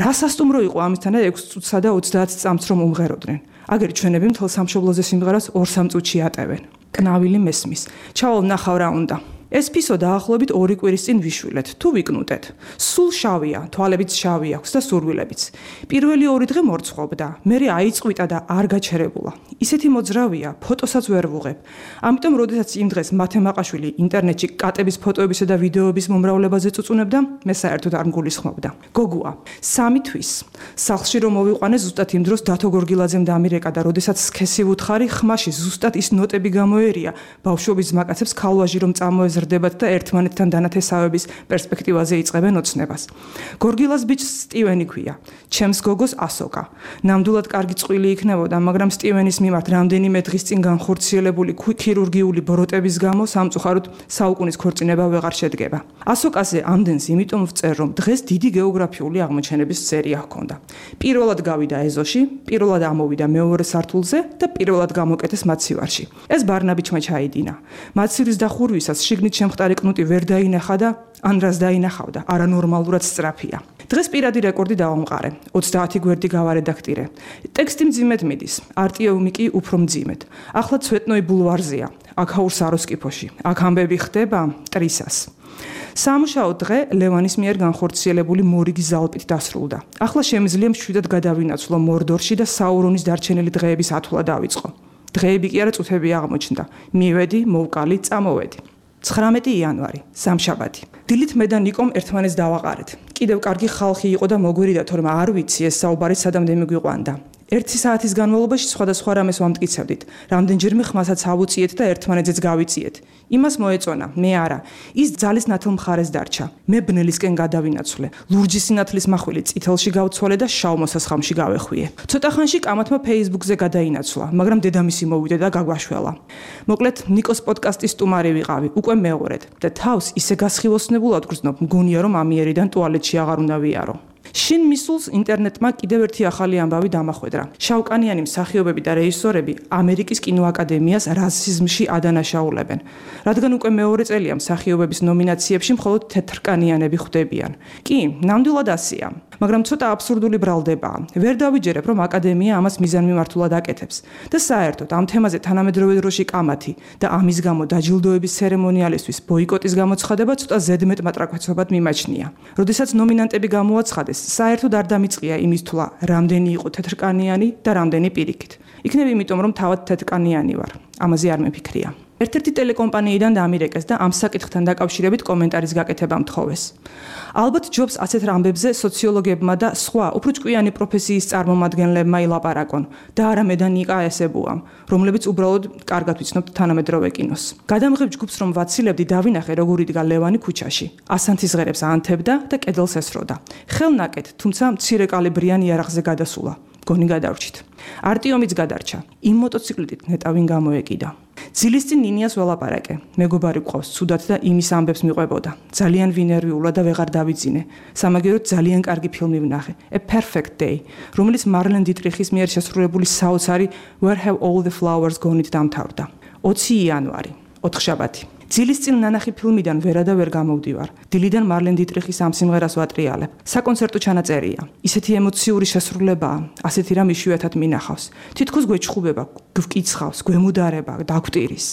Speaker 3: რა სასტუმრო იყო ამისთანა 6 წუთსა და 30 წამს რომ უმღეროდნენ. აგერ ჩვენები მთელ სამშობლოზე სიმღერას 2-3 წუთში ატევენ. კნავილი მესმის. ჩავალ ნახავ რა უნდა. ეს ფისო დაახლოებით 2 კვირის წინ ვიშვილეთ, თუ ვიკნუტეთ. სულ შავია, თვალებიც შავი აქვს და სურვილებიც. პირველი 2 დღე მორცხვობდა, მერე აიწყვიტა და არ გაჩერებულა. ისეთი მოძრავია, ფოტოსაც ვერ ვუღებ. ამიტომ, როდესაც იმ დღეს მათე მაყაშვილი ინტერნეტში კატების ფოტოებისა და ვიდეოების მომრავლებაზე წუწუნებდა, მე საერთოდ არ მგულისხმობდა. გოგოა, 3 თვის. სახლში რომ მოვიყვანე, ზუსტად იმ დროს დათო გორგილაძემ დამირეკა და როდესაც სქესი ვუთხარი, ხმაში ზუსტად ის ნოტები გამოერია, ბავშვობის ძმაკაცებს ქალვაჟი რომ წამოეზრდებათ და ერთმანეთთან დანათესავების პერსპექტივაზე იწყებენ ოცნებას. გორგილას ბიჭს სტივენი ქვია. ჩემს გოგოს ასოკა. ნამდვილად კარგი წყვილი იქნებოდა, მაგრამ სტივენის მიმართ რამდენიმე დღის წინ განხორციელებული ქირურგიული ბროტების გამო სამწუხაროდ საუკუნის ქორწინება ვეღარ შედგება. ასოკაზე ამდენს იმიტომ ვწერ, რომ დღეს დიდი გეოგრაფიული აღმოჩენების სერია ჰქონდა. პირველად გავიდა ეზოში, პირველად ამოვიდა მეორე სართულზე და პირველად გამოკეტეს მაცივარში. ეს ბარნაბიჩმა ჩაიდინა. მაცივრის დახურვისას შიგნით შემხტარი კნუტი ვერ დაინახა და ან რას დაინახავდა, არანორმალურად სწრაფია. დღეს პირადი რეკორდი დავამყარე. 30 გვერდი გავარედაქტირე. ტექსტი მძიმედ მიდის, არტიომი კი უფრო მძიმედ. ახლა ცვეტნოი ბულვარზია, აქაურ საროსკიფოში. აქ ამბები ხდება ტრისას. სამუშაო დღე ლევანის მიერ განხორციელებული მორიგის ზალპით დასრულდა. ახლა შემიძლია მშვიდად გადავინაცვლო მორდორში და საურონის დარჩენილი დღეების ათვლა დავიწყო. დღეები კი არა წუთები აღმოჩნდა. მივედი, მოვკალი, წამოვედი. 19 იანვარი, სამშაბათი. დილით მე და ნიკომ ერთმანეთს დავაყარეთ. კიდევ კარგი ხალხი იყო და მოგვირიდა, თორემ არ ვიცი ეს საუბარი სადამდე მიგვიყვანდა. 1 საათის განმავლობაში სხვადასხვა რამეს ვამტკიცებდით. რამდენჯერმე ხმასაც ავუწიეთ და ერთმანეთზეც გავიწიეთ. იმას მოეწონა, მე არა. ის ძალის ნათელ მხარეს დარჩა. მე ბნელისკენ გადავინაცვლე. ლურჯი სინათლის მახვილი წითელში გავცვალე და შავ მოსასხამში გავეხვიე. ცოტა ხანში კამათმა Facebook-ზე გადაინაცვლა, მაგრამ დედამისი მოვიდა და გაგვაშველა. მოკლედ, ნიკოს პოდკასტის სტუმარი ვიყავი, უკვე მეორედ და თავს ისე გასხივოსნებულად გრძნობ, მგონია რომ ამიერიდან ტუალეტში აღარ უნდა ვიარო. შინ მისულს ინტერნეტმა კიდევ ერთი ახალი ამბავი დამახვედრა. შავკანიანი მსახიობები და რეჟისორები ამერიკის კინოაკადემიას რასიზმში ადანაშაულებენ. რადგან უკვე მეორე წელია მსახიობების ნომინაციებში მხოლოდ თეთრკანიანები ხვდებიან. კი, ნამდვილად ასეა. მაგრამ ცოტა აბსურდული ბრალდებაა. ვერ დავიჯერებ, რომ აკადემია ამას მიზანმიმართულად აკეთებს. და საერთოდ ამ თემაზე თანამედროვე დროში კამათი და ამის გამო დაჯილდოების ცერემონიალისთვის ბოიკოტის გამოცხადება ცოტა ზედმეტ მატრაკაცობად მიმაჩნია. როდესაც ნომინანტები გამოაცხადეს, საერთოდ არ დამიწყია იმის თვლა, რამდენი იყო თეთრკანიანი და რამდენი პირიქით. იქნებ იმიტომ, რომ თავად თეთრკანიანი ვარ. ამაზე არ მეფიქრია. ერთ-ერთი ტელეკომპანიიდან დამირეკეს და ამ საკითხთან დაკავშირებით კომენტარის გაკეთება მთხოვეს. ალბათ ჯობს ასეთ ამბებზე სოციოლოგებმა და სხვა უფრო ჭკვიანი პროფესიის წარმომადგენლებმა ილაპარაკონ და არა მე და ნიკა ესებუამ, რომლებიც უბრალოდ კარგად ვიცნობთ თანამედროვე კინოს. გადამღებ ჯგუფს რომ ვაცილებდი დავინახე როგორ იდგა ლევანი ქუჩაში. ასანთის ღერებს ანთებდა და კედელს ესროდა. ხელნაკეთ, თუმცა მცირე კალიბრიან იარაღზე გადასულა. გონი გადავრჩით. არტიომიც გადარჩა. იმ მოტოციკლით ნეტავინ გამოეკიდა. ძილის წინ ნინიას ველაპარაკე. მეგობარი გვყავს ცუდად და იმის ამბებს მიყვებოდა. ძალიან ვინერვიულა და ვეღარ დავიძინე. სამაგიეროდ ძალიან კარგი ფილმი ვნახე. A Perfect Day, რომელიც მარლენ დიტრიხის მიერ შესრულებული საოცარი Where Have All the Flowers Gone-ით დამთავრდა. 20 იანვარი, ოთხშაბათი. ძილის წინ ნანახი ფილმიდან ვერა და ვერ გამოვდივარ. დილიდან მარლენ დიტრიხის ამ სიმღერას ვატრიალებ. საკონცერტო ჩანაწერია. ისეთი ემოციური შესრულებაა, ასეთი რამ იშვიათად მინახავს. თითქოს გვეჩხუბება, გვკიცხავს, გვემუდარება, დაგვტირის.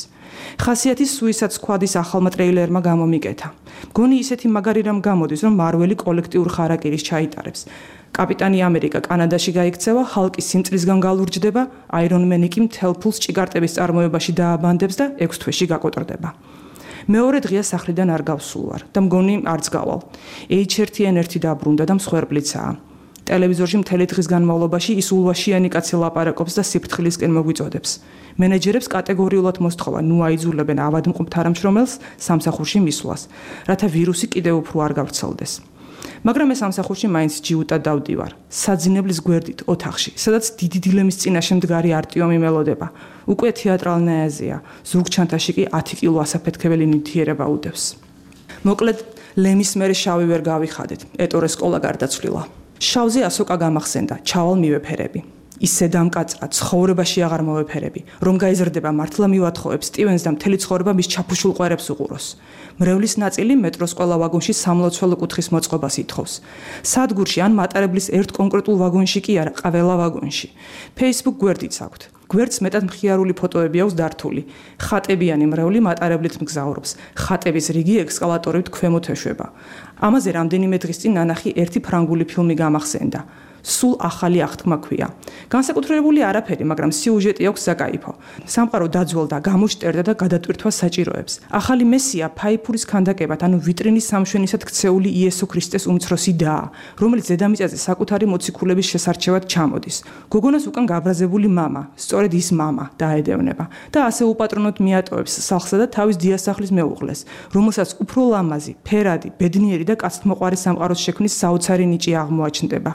Speaker 3: ხასიათის Suicide Squad-ის ახალმა ტრეილერმა გამომიკეთა. მგონი ისეთი მაგარი რამ გამოდის, რომ მარველი კოლექტიურ ხარაკირის ჩაიტარებს. კაპიტანი ამერიკა კანადაში გაიქცევა, ჰალკი სიმწრისგან გალურჯდება, აირონმენი კი მთელ ფულს ჭიგარტების წარმოებაში დააბანდებს და 6 თვეში გაკოტრდება. მეორე დღეა სახლიდან არ გავსულ ვარ და მგონი არც გავალ. H1N1 დაბრუნდა და მსხვერპლიცაა. ტელევიზორში მთელი დღის განმავლობაში ის ულვაშიანი კაცი ლაპარაკობს და სიფრთხილისკენ მოგვიწოდებს. მენეჯერებს კატეგორიულად მოსთხოვა, ნუ აიძულებენ ავადმყოფ თანამშრომელს სამსახურში მისვლას, რათა ვირუსი კიდევ უფრო არ გავრცელდეს. მაგრამ ეს სამსახურში მაინც ჯიუტად დავდივარ. საძინებლის გვერდით ოთახში, სადაც დიდი დილემის წინაშე მდგარი არტიომი მელოდება. უკვე თეატრალნააზია, ზურგჩანთაში კი 10 კილო ასაფეთქებელი ნივთიერება უდევს. მოკლედ, ლემის მერე შავი ვერ გავიხადეთ. ეტორე სკოლა გარდაცვლილა. შავზე ასოკა გამახსენდა, ჩავალ მივეფერები. ისე დამკაცრა, ცხოვრებაში აღარ მოვეფერები. რომ გაიზრდება მართლა მივათხოვებ სტივენს და მთელი ცხოვრება მის ჩაფუშულ ყვერებს უყუროს. მრევლის ნაწილი მეტროს ყველა ვაგონში სამლოცველო კუთხის მოწყობას ითხოვს. სადგურში ან მატარებლის ერთ კონკრეტულ ვაგონში კი არა, ყველა ვაგონში. Facebook გვერდიც აქვთ. გვერდს მეტად მხიარული ფოტოები აქვს დართული. ხატებიანი მრევლი მატარებლით მგზავრობს. ხატების რიგი ექსკალატორით ქვემოთ ეშვება. ამაზე რამდენიმე დღის წინ ნანახი ერთი ფრანგული ფილმი გამახსენდა. სულ ახალი აღთქმა ქვია. განსაკუთრებული არაფერი, მაგრამ სიუჟეტი აქვს საკაიფო. სამყარო დაძველდა, გამოშტერდა და გადატვირთვა საჭიროებს. ახალი მესია ფაიფურის ქანდაკებად, ანუ ვიტრინის სამშვენისად ქცეული იესო ქრისტეს უმცროსი დაა, რომელიც დედამიწაზე საკუთარი მოციქულების შესარჩევად ჩამოდის. გოგონას უკან გაბრაზებული მამა, სწორედ ის მამა დაედევნება და ასე უპატრონოდ მიატოვებს სახლსა და თავის დიასახლის მეუღლეს, რომელსაც უფრო ლამაზი, ფერადი, ბედნიერი და კაცთმოყვარე სამყაროს შექმნის საოცარი ნიჭი აღმოაჩნდება.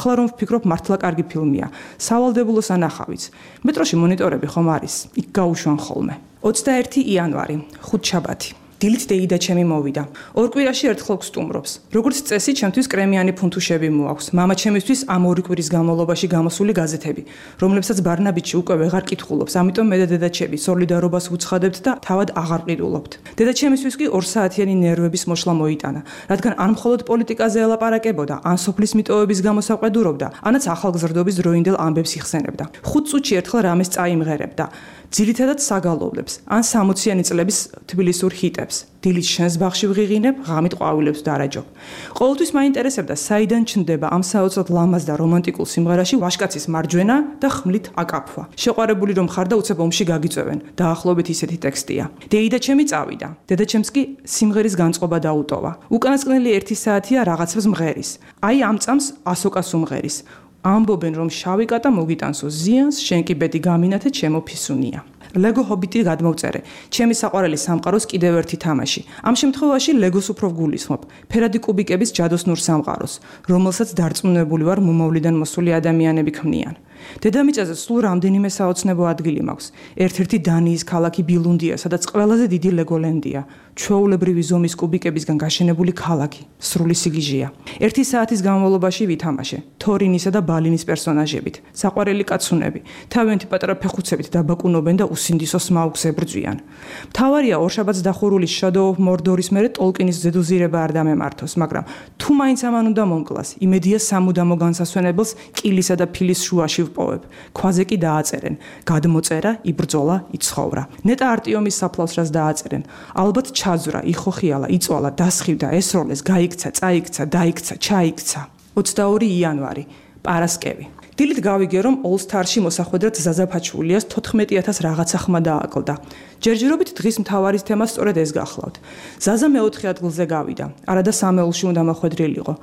Speaker 3: ახლა რომ ვფიქრობ, მართლა კარგი ფილმია. სავალდებულო სანახავიც. მეტროში მონიტორები ხომ არის? იქ გაუშვან ხოლმე. 21 იანვარი, ხუთშაბათი. დილით დეიდა ჩემი მოვიდა. ორ კვირაში ერთხელ გსტუმრობს. როგორც წესი, ჩემთვის კრემიანი ფუნთუშები მოაქვს. მამა ჩემისთვის ამ ორი კვირის განმავლობაში გამოსული გაზეთები, რომლებსაც ბარნაბიჩი უკვე ვეღარ კითხულობს. ამიტომ მე და დედაჩემი სოლიდარობას ვუცხადებთ და თავად აღარ ყიდულობთ. დედაჩემისთვის კი 2 საათიანი ნერვების მოშლა მოიტანა, რადგან ან მხოლოდ პოლიტიკაზე ელაპარაკებოდა, ან სოფლის მიტოვების გამოსაყვედურობდა, ანაც ახალგზრდობის დროინდელ ამბებს იხსენებდა. 5 წუთში ერთხელ რამეს წაიმღერებდა. ძირითადად საგალობლებს, ან 60-იანი წლების თბილისურ ჰიტებს. დილით შენს ბაღში ვღიღინებ, ღამით ყვავილებს დარაჯობ. ყოველთვის მაინტერესებდა, საიდან ჩნდება ამ საოცრად ლამაზ და რომანტიკულ სიმღერაში ვაშკაცის მარჯვენა და ხმლით აკაფვა. შეყვარებული რომ ხარ და უცებ ომში გაგიწევენ. დაახლოებით ისეთი ტექსტია. დეიდა ჩემი წავიდა. დედაჩემს კი სიმღერის განწყობა დაუტოვა. უკანასკნელი 1 საათია რაღაცებს მღერის. აი ამ წამს ასოკას უმღერის. ამბობენ, რომ შავი კატა მოგიტანსო ზიანს, შენ კი ბედი გამინათე, ჩემო ფისუნია. ლეგო ჰობიტი გადმოვწერე. ჩემი საყვარელი სამყაროს კიდევ ერთი თამაში. ამ შემთხვევაში ლეგოს უფრო გულისხმობ. ფერადი კუბიკების ჯადოსნურ სამყაროს, რომელსაც დარწმუნებული ვარ მომავლიდან მოსული ადამიანები ქმნიან. დედამიწაზე სულ რამდენიმე საოცნებო ადგილი მაქვს. ერთ-ერთი დანიის ქალაქი ბილუნდია, სადაც ყველაზე დიდი ლეგოლენდია. ჩვეულებრივი ზომის კუბიკებისგან გაშენებული ქალაქი, სრული სიგიჟეა. 1 საათის განმავლობაში ვითამაშე თორინისა და ბალინის პერსონაჟებით. საყვარელი კაცუნები, თავიანთი პატარა ფეხუცებით დაბაკუნობენ და უსინდისო სმაუგს ებრძვიან. მთავარია ორშაბათს დახურული Shadow of Mordor-ის მერე ტოლკინის ზედუზირება არ დამემართოს, მაგრამ თუ მაინც ამან უნდა მომკლას, იმედია სამუდამო განსასვენებელს კილისა და ფილის შუაში ვპოვებ. ქვაზე კი დააწერენ: გადმოწერა, იბრძოლა, იცხოვრა. ნეტა არტიომის საფლავსრას დააწერენ: ალბათ ჩაძვრა, იხოხიალა, იწვალა, დასხივდა, ესროლეს, გაიქცა, წაიქცა, დაიქცა, ჩაიქცა. 22 იანვარი, პარასკევი. დილით გავიგე, რომ All Star-ში მოსახვედრად ზაზა ფაჩულიას 14000 რაღაცა ხმა დააკლდა. ჯერჯერობით დღის მთავარი თემა სწორედ ეს გახლავთ. ზაზა მეოთხე ადგილზე გავიდა, არადა სამეულში უნდა მოხვედრილიყო.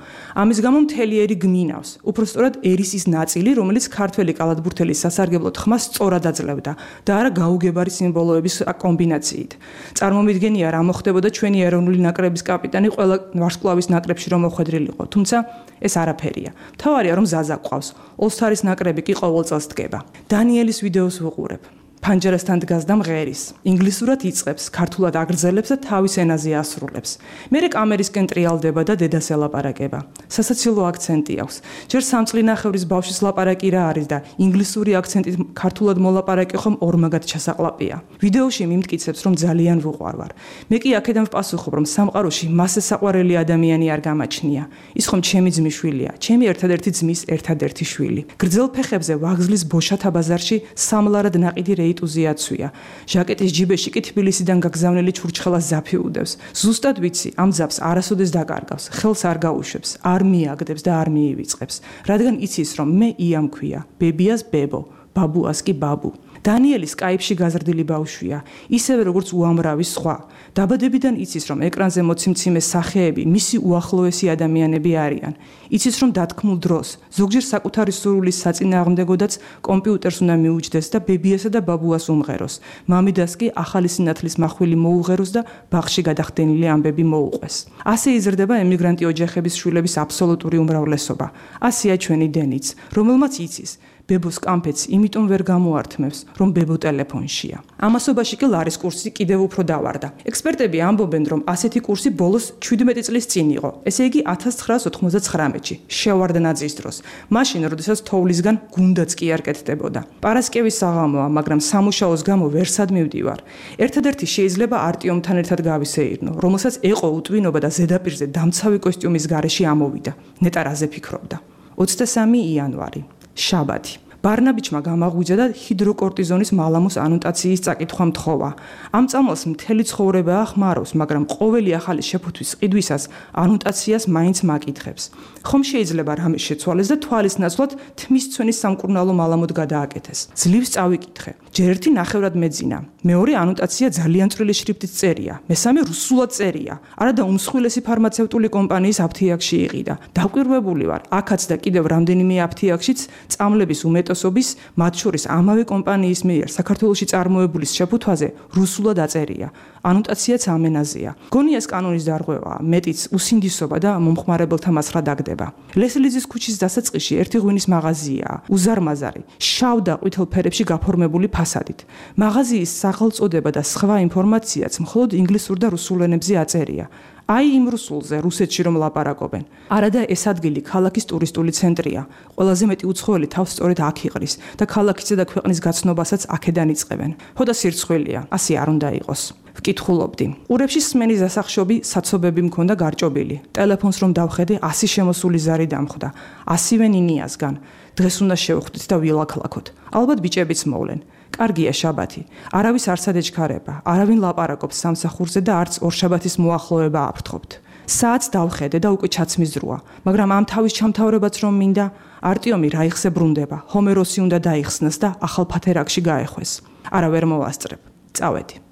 Speaker 3: ამის გამო მთელი ერი გმინავს, უფრო სწორად ერის ის ნაწილი, რომელიც ქართველი კალათბურთელის სასარგებლოდ ხმას სწორად აძლევდა და არა გაუგებარი სიმბოლოების კომბინაციით. წარმომიდგენია რა მოხდებოდა ჩვენი ეროვნული ნაკრების კაპიტანი ყველა ვარსკვლავის ნაკრებში რომ მოხვედრილიყო, თუმცა ეს არაფერია. მთავარია რომ ზაზა ყავს. All Star-ის ნაკრები კი ყოველ წელს დგება. დანიელის ვიდეოს ვუყურებ. ფანჯერასთან დგას და მღერის. ინგლისურად იწყებს, ქართულად აგრძელებს და თავის ენაზე ასრულებს. მერე კამერისკენ ტრიალდება და დედას ელაპარაკება. სასაცილო აქცენტი აქვს. ჯერ სამწლინახევრის ბავშვის ლაპარაკი რა არის და ინგლისური აქცენტით ქართულად მოლაპარაკი ხომ ორმაგად ჩასაყლაპია. ვიდეოში მიმტკიცებს, რომ ძალიან ვუყვარვარ. მე კი აქედან ვპასუხობ, რომ სამყაროში მასზე საყვარელი ადამიანი არ გამაჩნია. ის ხომ ჩემი ძმისშვილია, ჩემი ერთადერთი ძმის ერთადერთი შვილი. გრძელ ფეხებზე ვაგზლის ბოშათა ბაზარში სამლარად ნაყიდი რეიტუზი აცვია. ჟაკეტის ჯიბეში კი თბილისიდან გაგზავნილი ჩურჩხელა ზაფი უდევს. ზუსტად ვიცი, ამ ზაფს არასოდეს დაკარგავს, ხელს არ გაუშვებს, არ მიაგდებს და არ მიივიწყებს, რადგან იცის, რომ მე ია მქვია, ბებიას ბებო, ბაბუას კი ბაბუ. დანიელი სკაიპში გაზრდილი ბავშვია, ისევე როგორც უამრავი სხვა. დაბადებიდან იცის, რომ ეკრანზე მოციმციმე სახეები მისი უახლოესი ადამიანები არიან. იცის, რომ დათქმულ დროს, ზოგჯერ საკუთარი სურვილის საწინააღმდეგოდაც კომპიუტერს უნდა მიუჯდეს და ბებიასა და ბაბუას უმღეროს. მამიდას კი ახალი სინათლის მახვილი მოუღეროს და ბაღში გადახდენილი ამბები მოუყვეს. ასე იზრდება ემიგრანტი ოჯახების შვილების აბსოლუტური უმრავლესობა. ასეა ჩვენი დენიც, რომელმაც იცის ბებოს კამფეთს იმიტომ ვერ გამოართმევს, რომ ბებო ტელეფონშია. ამასობაში კი ლარის კურსი კიდევ უფრო დავარდა. ექსპერტები ამბობენ, რომ ასეთი კურსი ბოლოს 17 წლის წინ იყო, ესე იგი 1999-ში, შევარდნაძის დროს. მაშინ, როდესაც თოვლისგან გუნდაც კი არ კეთდებოდა. პარასკევის საღამოა, მაგრამ სამუშაოს გამო ვერსად მივდივარ. ერთადერთი შეიძლება არტიომთან ერთად გავისეირნო, რომელსაც ეყო უტვინობა და ზედაპირზე დამცავი კოსტიუმის გარეშე ამოვიდა. ნეტა რაზე ფიქრობდა. 23 იანვარი. შაბათი. ბარნაბიჩმა გამაღვიძა და ჰიდროკორტიზონის მალამოს ანოტაციის წაკითხვა მთხოვა. ამ წამალს მთელი ცხოვრება ახმარავს, მაგრამ ყოველი ახალი შეფუთვის ყიდვისას ანოტაციას მაინც მაკითხებს. ხომ შეიძლება რამე შეცვალეს და თვალის ნაცვლად თმის ცვენის სამკურნალო მალამოდ გადააკეთეს. ძლივს წავიკითხე. ჯერ ერთი ნახევრად მეძინა. მეორე ანოტაცია ძალიან წვრილი შრიფტით წერია. მესამე რუსულად წერია. არადა უმსხვილესი ფარმაცევტული კომპანიის აფთიაქში იყიდა. დაკვირვებული ვარ, აქაც და კიდევ რამდენიმე აფთიაქშიც წამლების უმეტესობის, მათ შორის ამავე კომპანიის მიერ საქართველოში წარმოებულის შეფუთვაზე რუსულად აწერია. ანოტაციაც ამ ენაზეა. გონიას კანონის დარღვევაა, მეტიც უსინდისობა და მომხმარებელთა მასრა დაგდება. ლესლიზის ქუჩის დასაწყისში ერთი ღვინის მაღაზიაა, უზარმაზარი, შავ და ყვითელ ფერებში გაფორმებული ფასადით. მაღაზიის სახელწოდება და სხვა ინფორმაციაც მხოლოდ ინგლისურ და რუსულ ენებზე აწერია. აი იმ რუსულზე, რუსეთში რომ ლაპარაკობენ. არადა ეს ადგილი ქალაქის ტურისტული ცენტრია. ყველაზე მეტი უცხოელი თავს სწორედ აქ იყრის და ქალაქისა და ქვეყნის გაცნობასაც აქედან იწყებენ. ხოდა სირცხვილია, ასე არ უნდა იყოს. ვკითხულობდი. ყურებში სმენის დასახშობი საცობები მქონდა გარჭობილი. ტელეფონს რომ დავხედე, 100 შემოსული ზარი დამხვდა. 100-ვე ნინიასგან. დღეს უნდა შევხვდით და ვილაქლაქოთ. ალბათ ბიჭებიც მოვლენ. კარგია შაბათი. არავის არ სადეჩქარება, არავინ ლაპარაკობს სამსახურზე და არც ორშაბათის მოახლოება აფრთხობთ. საათს დავხედე და უკვე ჩაცმის დროა, მაგრამ ამ თავის ჩამთავრებაც რომ მინდა, არტიომი რაიხსე ბრუნდება, ჰომეროსი უნდა დაიხსნას და ახალ ფათერაკში გაეხვეს. არა ვერ მოვასწრებ. წავედი.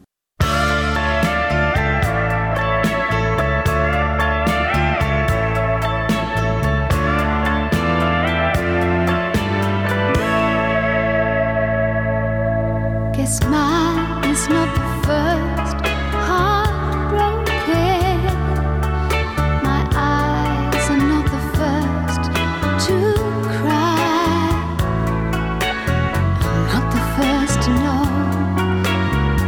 Speaker 12: Yes, mine is not the first heartbroken. My eyes are not the first to cry. I'm not the first to know.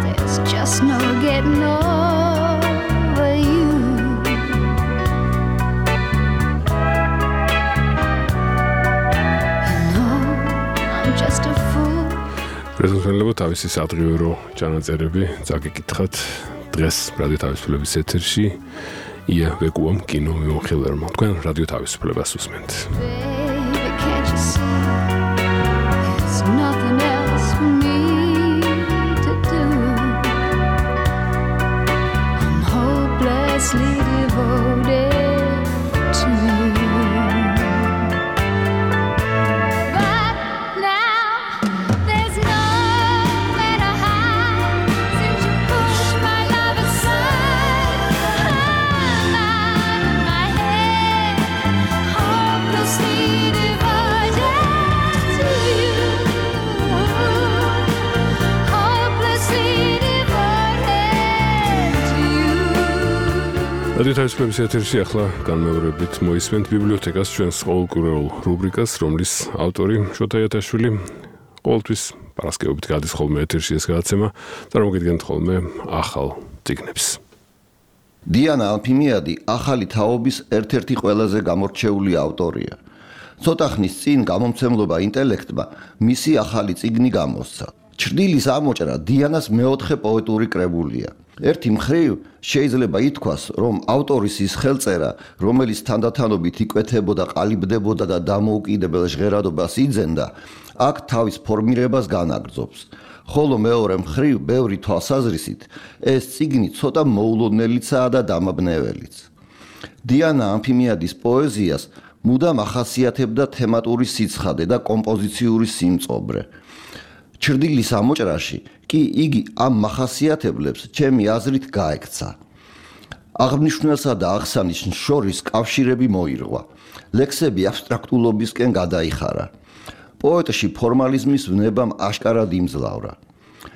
Speaker 12: There's just no getting over you. You know, I'm just a fool.
Speaker 2: პრეზიდენტებო თავისი სადღიურო ჩანაწერები წაგიკითხათ დღეს რადიო თავისუფლების ეთერში ია ვეკუამ კინო მიმოხილვებმა თქვენ რადიო თავისუფლებას უსმენთ
Speaker 12: Baby, can't you see? There's nothing else for me to do. I'm hopelessly devoted to you. But now there's nowhere to hide since you pushed my love aside. I'm out of my head, hopelessly devoted to you. Hopelessly devoted to you.
Speaker 2: რადიო თავისუფლების ეთერში ახლა განმეორებით მოისმენთ ბიბლიოთეკას ჩვენს ყოველკვირეულ რუბრიკას, რომლის ავტორი შოთა იათაშვილი. ყოველთვის პარასკევობით გადის ხოლმე ეთერში ეს გადაცემა, წარმოგიდგენთ ხოლმე ახალ წიგნებს.
Speaker 13: დიანა ალფიმიადი ახალი თაობის ერთ-ერთი ყველაზე გამორჩეული ავტორია. ცოტა ხნის წინ გამომცემლობა ინტელექტმა მისი ახალი წიგნი გამოსცა. ჩრდილის ამოჭრა დიანას მეოთხე პოეტური კრებულია. ერთი მხრივ შეიძლება ითქვას, რომ ავტორის ის ხელწერა, რომელიც თანდათანობით იკვეთებოდა, ყალიბდებოდა და დამოუკიდებელ ჟღერადობას იძენდა, აქ თავის ფორმირებას განაგრძობს. ხოლო მეორე მხრივ, ბევრი თვალსაზრისით, ეს წიგნი ცოტა მოულოდნელიცაა და დამაბნეველიც. დიანა ალფიმიადის პოეზიას მუდამ ახასიათებდა თემატური სიცხადე და კომპოზიციური სიმწობრე. ჩრდილის ამოჭრაში კი იგი ამ მახასიათებლებს ჩემი აზრით გაექცა. აღნიშნულსა და აღსანიშნს შორის კავშირები მოირღვა. ლექსები აბსტრაქტულობისკენ გადაიხარა. პოეტში ფორმალიზმის ვნებამ აშკარად იმძლავრა.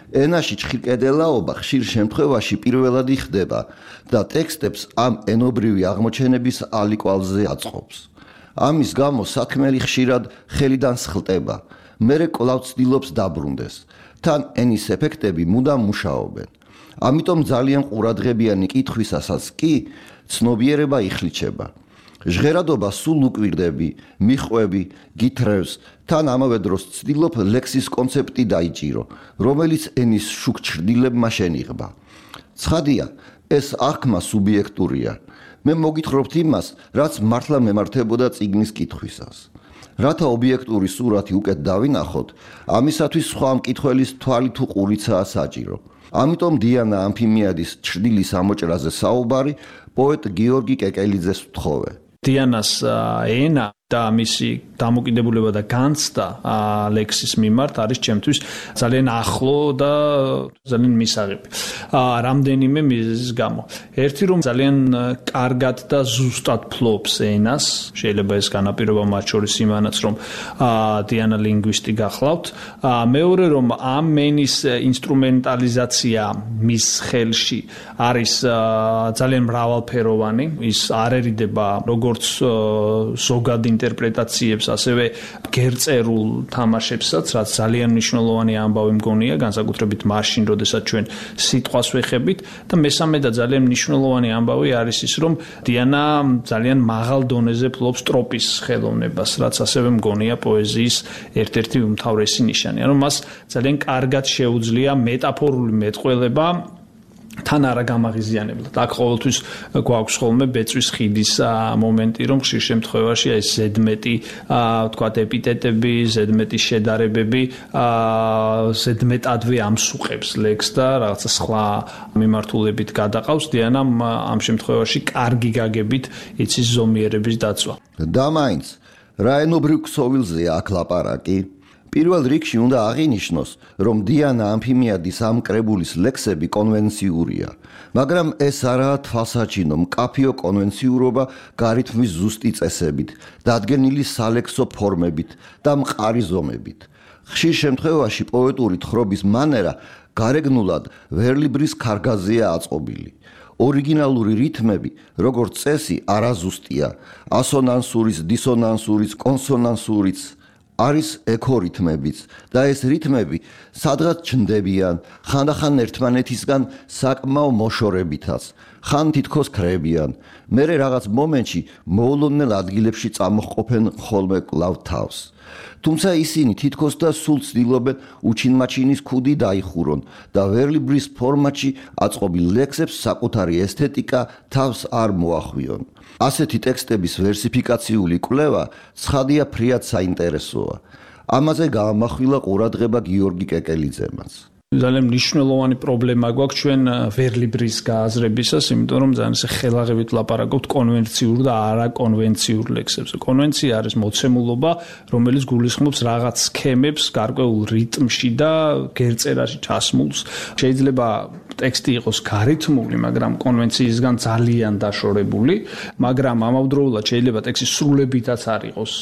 Speaker 13: ენაში ჩხირკედელაობა ხშირ შემთხვევაში პირველადი ხდება და ტექსტებს ამ ენობრივი აღმოჩენების ალიკვალზე აწყობს. ამის გამო საქმელი ხშირად ხელიდან სხლტება. მერე კვლავ ცდილობს დაბრუნდეს. თან ენის ეფექტები მუდამ მუშაობენ. ამიტომ ძალიან ყურადღებიანი კითხვისასაც კი ცნობიერება იხლიჩება. ჟღერადობა სულ უკვირდები, მიხვევი, გითხრევს, თან ამავე დროს ცდილობ ლექსის კონცეპტი დაიჭირო, რომელიც ენის შუქ ჩრდილებმა შენიღბა. ცხადია, ეს აღქმა სუბიექტურია. მე მოგითხრობთ იმას, რაც მართლა მემართებოდა წიგნის კითხვისას. რათა ობიექტური სურათი უკეთ დავინახოთ, ამისათვის სხვა მკითხველის თვალი თუ ყურიცაა საჭირო. ამიტომ დიანა ალფიმიადის ჩრდილის ამოჭრაზე საუბარი პოეტ გიორგი კეკელიძეს ვთხოვე.
Speaker 14: დიანას ენა და მისი დამოკიდებულება და განცდა ლექსის მიმართ არის ჩემთვის ძალიან ახლო და ძალიან მისაღები. რამდენიმე მიზეზის გამო. ერთი რომ ძალიან კარგად და ზუსტად ფლობს ენას, შეიძლება ეს განაპირობა მათ შორის იმანაც რომ დიანა ლინგვისტი გახლავთ. მეორე რომ ამ ენის ინსტრუმენტალიზაცია მის ხელში არის ძალიან მრავალფეროვანი, ის არერიდება როგორც ზოგად ინტერპრეტაციებს, ასევე გერწერულ თამაშებსაც, რაც ძალიან მნიშვნელოვანი ამბავი მგონია, განსაკუთრებით მაშინ, როდესაც ჩვენ სიტყვას ვეხებით და მესამე და ძალიან მნიშვნელოვანი ამბავი არის ის, რომ დიანა ძალიან მაღალ დონეზე ფლობს ტროპის ხელოვნებას, რაც ასევე მგონია პოეზიის ერთ-ერთი უმთავრესი ნიშანი. ანუ მას ძალიან კარგად შეუძლია მეტაფორული მეტყველება თან არა გამაღიზიანებლად. აქ ყოველთვის გვაქვს ხოლმე ბეწვის ხიდის მომენტი, რომ ხშირ შემთხვევაში ეს ზედმეტი, ვთქვათ, ეპიტეტები, ზედმეტი შედარებები, ზედმეტადვე ამსუყებს ლექსს და რაღაცა სხვა მიმართულებით გადაყავს. დიანამ ამ შემთხვევაში კარგი გაგებით იცის ზომიერების დაცვა.
Speaker 13: და მაინც, რა ენობრივ ქსოვილზეა აქ ლაპარაკი? პირველ რიგში უნდა აღინიშნოს, რომ დიანა ალფიმიადის ამ კრებულის ლექსები კონვენციურია, მაგრამ ეს არაა თვალსაჩინო მკაფიო კონვენციურობა გარითმის ზუსტი წესებით, დადგენილი სალექსო ფორმებით და მყარი ზომებით. ხშირ შემთხვევაში პოეტური თხრობის მანერა გარეგნულად ვერლიბრის ქარგაზეა აწყობილი. ორიგინალური რითმები, როგორც წესი, არაზუსტია, ასონანსურიც, დისონანსურიც, კონსონანსურიც არის ექორითმებიც და ეს რითმები სადღაც ჩნდებიან, ხანდახან ერთმანეთისგან საკმაო მოშორებითაც, ხან თითქოს ქრებიან, მერე რაღაც მომენტში მოულოდნელ ადგილებში წამოჰყოფენ ხოლმე კვლავ თავს. თუმცა ისინი თითქოს და სულ ცდილობენ უჩინმაჩინის ქუდი დაიხურონ და ვერლიბრის ფორმატში აწყობილ ლექსებს საკუთარი ესთეტიკა თავს არ მოახვიონ. ასეთი ტექსტების ვერსიფიკაციული კვლევა ცხადია ფრიად საინტერესოა. ამაზე გაამახვილა ყურადღება გიორგი კეკელიძემაც.
Speaker 14: ძალიან მნიშვნელოვანი პრობლემა გვაქვს ჩვენ ვერლიბრის გააზრებისას, იმიტომ რომ ძალიან ხელაღებით ლაპარაკობთ კონვენციურ და არაკონვენციურ ლექსებზე. კონვენცია არის მოცემულობა, რომელიც გულისხმობს რაღაც სქემებს, გარკვეულ რიტმში და გერწერაში ჩასმულს. შეიძლება ტექსტი იყოს გარითმული, მაგრამ კონვენციისგან ძალიან დაშორებული, მაგრამ ამავდროულად შეიძლება ტექსტი სრულებითაც არ იყოს,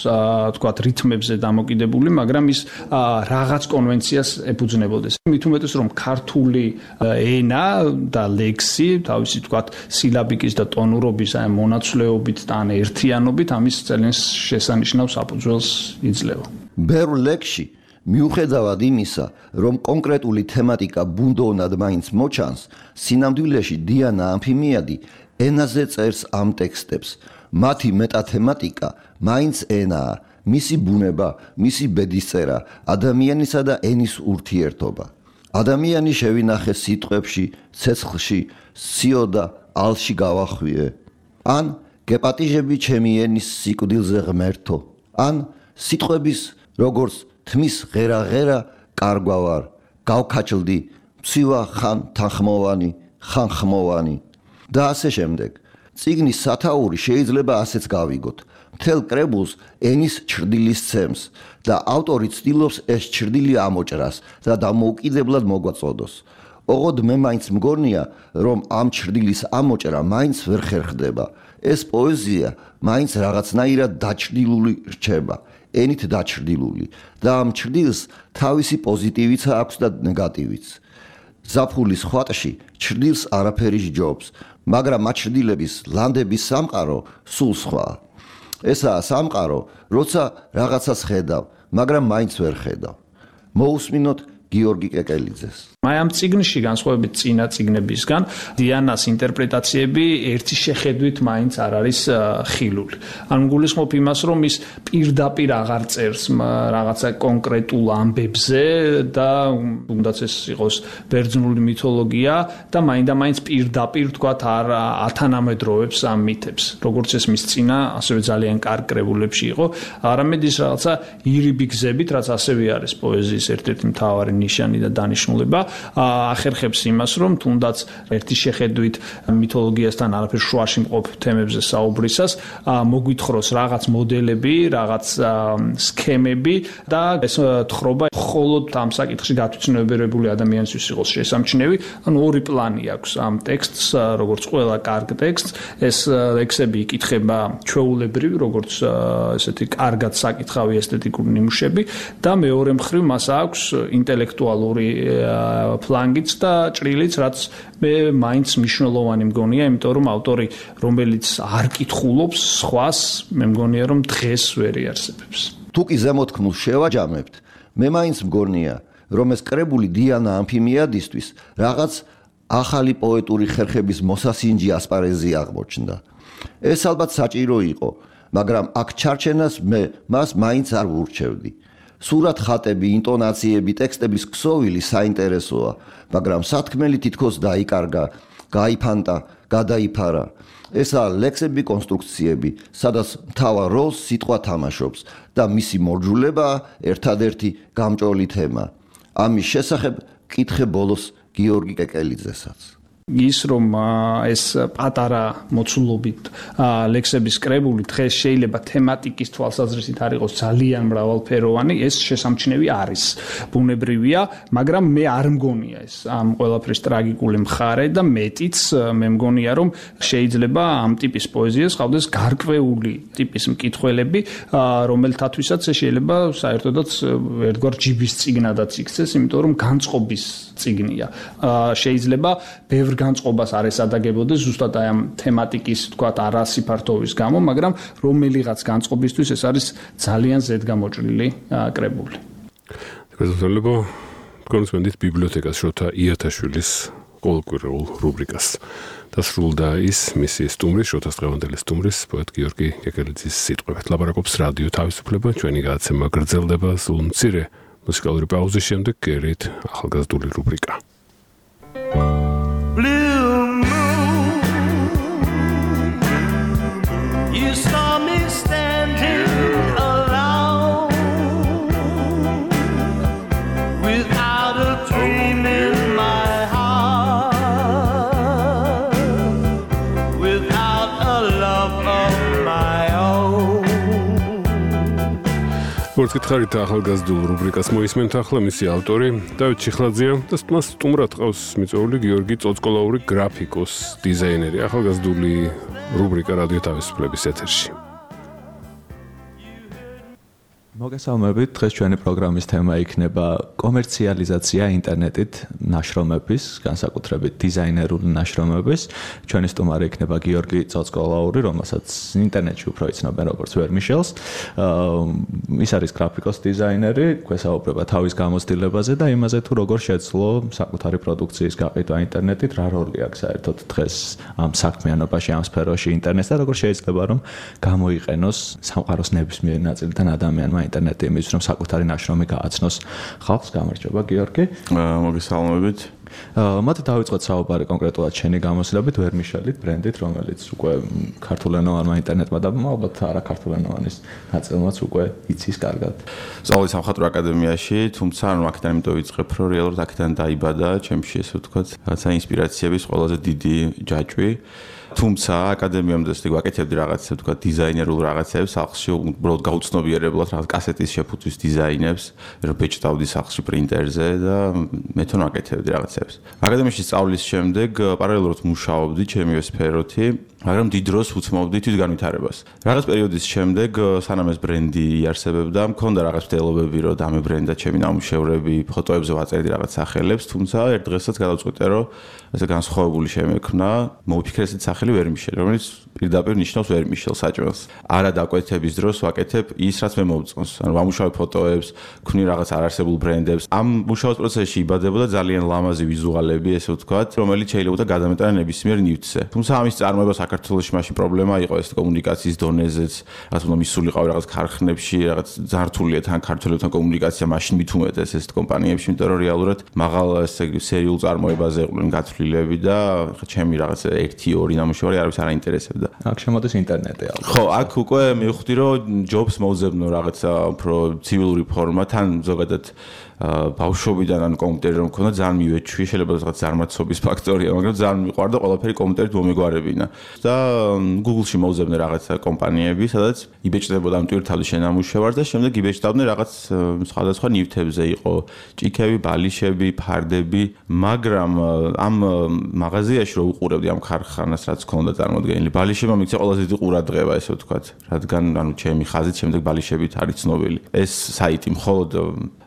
Speaker 14: თქვათ, რიტმებზე დამოკიდებული, მაგრამ ის რაღაც კონვენციას ეფუძნებოდეს. მით უმეტეს რომ ქართული ენა და ლექსი, თავისი თქვათ, სილაბიკის და ტონურობის მონაცვლეობით და ან ერთიანობით ამის ძალიან შესანიშნავ საფუძველს იძლევა.
Speaker 13: ბევრ ლექსში მიუხედავად იმისა, რომ კონკრეტული თემატიკა ბუნდოვნად მაინც მოჩანს, სინამდვილეში დიანა ამფიმიადი ენაზე წერს ამ ტექსტებს. მათი მეტათემატიკა მაინც ენაა, მისი ბუნება, მისი ბედისწერა, ადამიანისა და ენის ურთიერთობა. ადამიანი შევინახე სიტყვებში, ცეცხლში, სიოდა ალში გავახვიე. ან გეპატიჟები ჩემი ენის სიკვდილზე ღმერთო. ან სიტყვების როგორც თმის ღერა-ღერა კარგვავარ, გავქაჩლდი, მცივა ხან თანხმოვანი, ხან ხმოვანი და ასე შემდეგ. წიგნის სათაური შეიძლება ასეც გავიგოთ. მთელ კრებულს ენის ჩრდილი სცემს და ავტორი ცდილობს ეს ჩრდილი ამოჭრას და დამოუკიდებლად მოგვაწოდოს. ოღონდ მე მაინც მგონია, რომ ამ ჩრდილის ამოჭრა მაინც ვერ ხერხდება. ეს პოეზია მაინც რაღაცნაირად დაჩრდილული რჩება. ენით დაჩრდილული და ამ ჩრდილს თავისი პოზიტივიცა აქვს და ნეგატივიც. ზაფხულის ხვატში ჩრდილს არაფერი სჯობს, მაგრამ ამ ჩრდილების ლანდების სამყარო სულ სხვაა. ესაა სამყარო, როცა რაღაცას ხედავ, მაგრამ მაინც ვერ ხედავ. მოусმინოთ გიორგი კეკელიძეს.
Speaker 14: აი ამ წიგნში განსხვავებით წინა წიგნებისგან დიანას ინტერპრეტაციები ერთი შეხედვით მაინც არ არის ხილული. ან გულისხმობ იმას, რომ ის პირდაპირ აღარ წერს რაღაცა კონკრეტულ ამბებზე და თუნდაც ეს იყოს ბერძნული მითოლოგია და მაინდა-მაინც პირდაპირ თქვათ არ ათანამედროვებს ამ მითებს, როგორც ეს მის წინა ასევე ძალიან კარგ კრებულებში იყო, არამედ ის რაღაცა ირიბი გზებით, რაც ასევე არის პოეზიის ერთ-ერთი მთავარი ნიშანი და დანიშნულება, ახერხებს იმას, რომ თუნდაც ერთი შეხედვით მითოლოგიასთან არაფერ შუაში მყოფ თემებზე საუბრისას მოგვითხროს რაღაც მოდელები, რაღაც სქემები და ეს თხრობა მხოლოდ ამ საკითხში გათვითცნობიერებული ადამიანისთვის იყოს შესამჩნევი. ანუ ორი პლანი აქვს ამ ტექსტს, როგორც ყველა კარგ ტექსტს, ეს ლექსები იკითხება ჩვეულებრივ, როგორც ესეთი კარგად საკითხავი ესთეტიკური ნიმუშები და მეორე მხრივ მას აქვს ინტელექტუალური ფლანგიც და ჭრილიც, რაც მე მაინც მნიშვნელოვანი მგონია, იმიტომ რომ ავტორი, რომელიც არ კითხულობს სხვას, მე მგონია რომ დღეს ვერ იარსებებს.
Speaker 13: თუ კი ზემოთქმულს შევაჯამებთ, მე მაინც მგონია, რომ ეს კრებული დიანა ამფიმიადისთვის რაღაც ახალი პოეტური ხერხების მოსასინჯი ასპარეზი აღმოჩნდა. ეს ალბათ საჭირო იყო, მაგრამ აქ ჩარჩენას მე მას მაინც არ ვურჩევდი. სურათ ხატები, ინტონაციები, ტექსტების ქსოვილი საინტერესოა, მაგრამ სათქმელი თითქოს დაიკარგა, გაიფანტა, გადაიფარა. ესაა ლექსები, კონსტრუქციები, სადაც მთავარ როლს სიტყვა თამაშობს და მისი მორჯულებაა ერთადერთი გამჭოლი თემა. ამის შესახებ კითხე ბოლოს გიორგი კეკელიძესაც.
Speaker 14: ის რომ ეს პატარა მოცულობით ლექსების კრებული დღეს შეიძლება თემატიკის თვალსაზრისით არ იყოს ძალიან მრავალფეროვანი, ეს შესამჩნევი არის. ბუნებრივია, მაგრამ მე არ მგონია ეს ამ ყველაფრის ტრაგიკული მხარე და მეტიც მე მგონია რომ შეიძლება ამ ტიპის პოეზიას ყავდეს გარკვეული ტიპის მკითხველები, რომელთათვისაც შეიძლება საერთოდაც ერთგვარ ჯიბის წიგნადაც იქცეს, იმიტომ რომ განწყობის წიგნია. შეიძლება ბევრ განწყობას არ ესადაგებოდეს ზუსტად აი ამ თემატიკის, თქვათ, არასიფართოვის გამო, მაგრამ რომელიღაც განწყობისთვის ეს არის ძალიან ზედგამოჭრილი კრებული.
Speaker 2: გასაგებია, კონსპენდით ბიბლიოთეკას შოთა იათაშვილის ყოველკვირეულ რუბრიკას. დასრულდა ის მისი სტუმრის, შოთას დღევანდელი სტუმრის, პოეტ გიორგი კეკელიძის სიტყვებით. ლაპარაკობს რადიო თავისუფლება, ჩვენი გადაცემა გრძელდება სულ მცირე მუსიკალური პაუზის შემდეგ, გერით ახალგაზრდული რუბრიკა.
Speaker 15: You saw me standing alone without a dream in my heart, without a love of my own.
Speaker 2: როგორც გითხარით, ახალგაზრდულ რუბრიკას მოისმენთ ახლა მისი ავტორი დავით ჩიხლაძეა და მას სტუმრად ყავს მიწვეული გიორგი წოწკოლაური გრაფიკოს დიზაინერი. ახალგაზრდული რუბრიკა რადიო თავისუფლების ეთერში.
Speaker 16: მოგესალმებით, დღეს ჩვენი პროგრამის თემა იქნება კომერციალიზაცია ინტერნეტით ნაშრომების, განსაკუთრებით დიზაინერული ნაშრომების. ჩვენი სტუმარი იქნება გიორგი წოწკოლაური, რომელსაც ინტერნეტში უფრო იცნობენ როგორც ვერმიშელს. ის არის გრაფიკოს დიზაინერი, გვესაუბრება თავის გამოცდილებაზე და იმაზე თუ როგორ შეძლო საკუთარი პროდუქციის გაყიდვა ინტერნეტით, რა როლი აქვს საერთოდ დღეს ამ საქმიანობაში, ამ სფეროში ინტერნეტს და როგორ შეიძლება რომ გამოიყენოს სამყაროს ნებისმიერ ნაწილიდან ადამიანმა ინტერნეტი იმის რომ საკუთარი ნაშრომი გააცნოს ხალხს. გამარჯობა გიორგი.
Speaker 4: მოგესალმებით.
Speaker 16: მოდით დავიწყოთ საუბარი კონკრეტულად შენი გამოცდილებით ვერმიშელით ბრენდით, რომელიც უკვე ქართულენოვანმა ინტერნეტმა და ალბათ არა ქართულენოვანის ნაწილმაც უკვე იცის კარგად.
Speaker 4: სწავლი სამხატვრო აკადემიაში, თუმცა ანუ აქედან იმიტომ ვიწყებ, რომ რეალურად აქედან დაიბადა ჩემში ესე ვთქვათ, რაღაცა ინსპირაციების ყველაზე დიდი ჯაჭვი. თუმცა აკადემიამდე ისე ვაკეთებდი რაღაცებს, თქვა დიზაინერულ რაღაცებს, სახლში უბრალოდ გაუცნობიერებლად რაღაც კასეტის შეფუთვის დიზაინებს, რომ ბეჭდავდი სახლში პრინტერზე და მეთონ ვაკეთებდი რაღაცებს. აკადემიაში სწავლის შემდეგ პარალელურად მუშაობდი ჩემივე სფეროთი, მაგრამ დიდ დროს უცმობდი თვითგანვითარებას. რაღაც პერიოდის შემდეგ, სანამ ეს ბრენდი იარსებებდა, მქონდა რაღაც მცდელობები, რომ დამებრენდა ჩემი ნამუშევრები, ფოტოებზე ვაწერდი რაღაც სახელებს, თუმცა ერთ დღესაც გადავწყვიტე, რომ ესე განსხვავებული შემექმნა, მოვიფიქრე ესეთ სახელი ვერმიშელი, რომელიც პირდაპირ ნიშნავს ვერმიშელ საჭმელს. არა დაკვეთების დროს ვაკეთებ ის, რაც მე მოვწონს. ანუ ვამუშავებ ფოტოებს, ვქმნი რაღაც არარსებულ ბრენდებს. ამ მუშაობის პროცესში იბადებოდა ძალიან ლამაზი ვიზუალები, ესე ვთქვათ, რომელიც შეიძლება გადამეტანა ნებისმიერ ნივთზე. თუმცა ამის წარმოება საქართველოში მაშინ პრობლემა იყო ეს კომუნიკაციის დონეზეც, რაც უნდა მისულიყავი რაღაც ქარხნებში, რაღაც ძართულია თან ქართველებთან კომუნიკაცია მაშინ მით უმეტეს ეს კომპანიებში, იმიტომ რომ რეალურად მაღალ ესე სერიულ წარმოებაზე იყვნენ გათვლილები და ჩემი რაღაც 1-2 ნამუშევარი არავის არ აინტერესებდა.
Speaker 16: აქ შემოდის ინტერნეტი ალბათ.
Speaker 4: ხო, აქ უკვე მივხვდი რომ ჯობს მოვზებნო რაღაცა უფრო ცივილური ფორმა, თან ზოგადად ბავშვობიდან ან კომპიუტერი რომ მქონდა ძალიან მივეჩვი, შეიძლება რაღაც ზარმაცობის ფაქტორია, მაგრამ ძალიან მიყვარდა ყველაფერი კომპიუტერით მომეგვარებინა. და Google-ში მოვზებნე რაღაცა კომპანიები, სადაც იბეჭდებოდა ამ ტვირთავის შენამუშევარს და შემდეგ იბეჭდავდნენ რაღაც სხვადასხვა ნივთებზე, იყო ჭიქები, ბალიშები, ფარდები, მაგრამ ამ მაღაზიაში რო უყურებდი ამ ქარხანას, რაც ქონდა წარმოდგენილი, ბალიშებმა მიქცა ყველაზე დიდი ყურადღება, ესე ვთქვათ, რადგან ანუ ჩემი ხაზით შემდეგ ბალიშებით არის ცნობილი. ეს საიტი მხოლოდ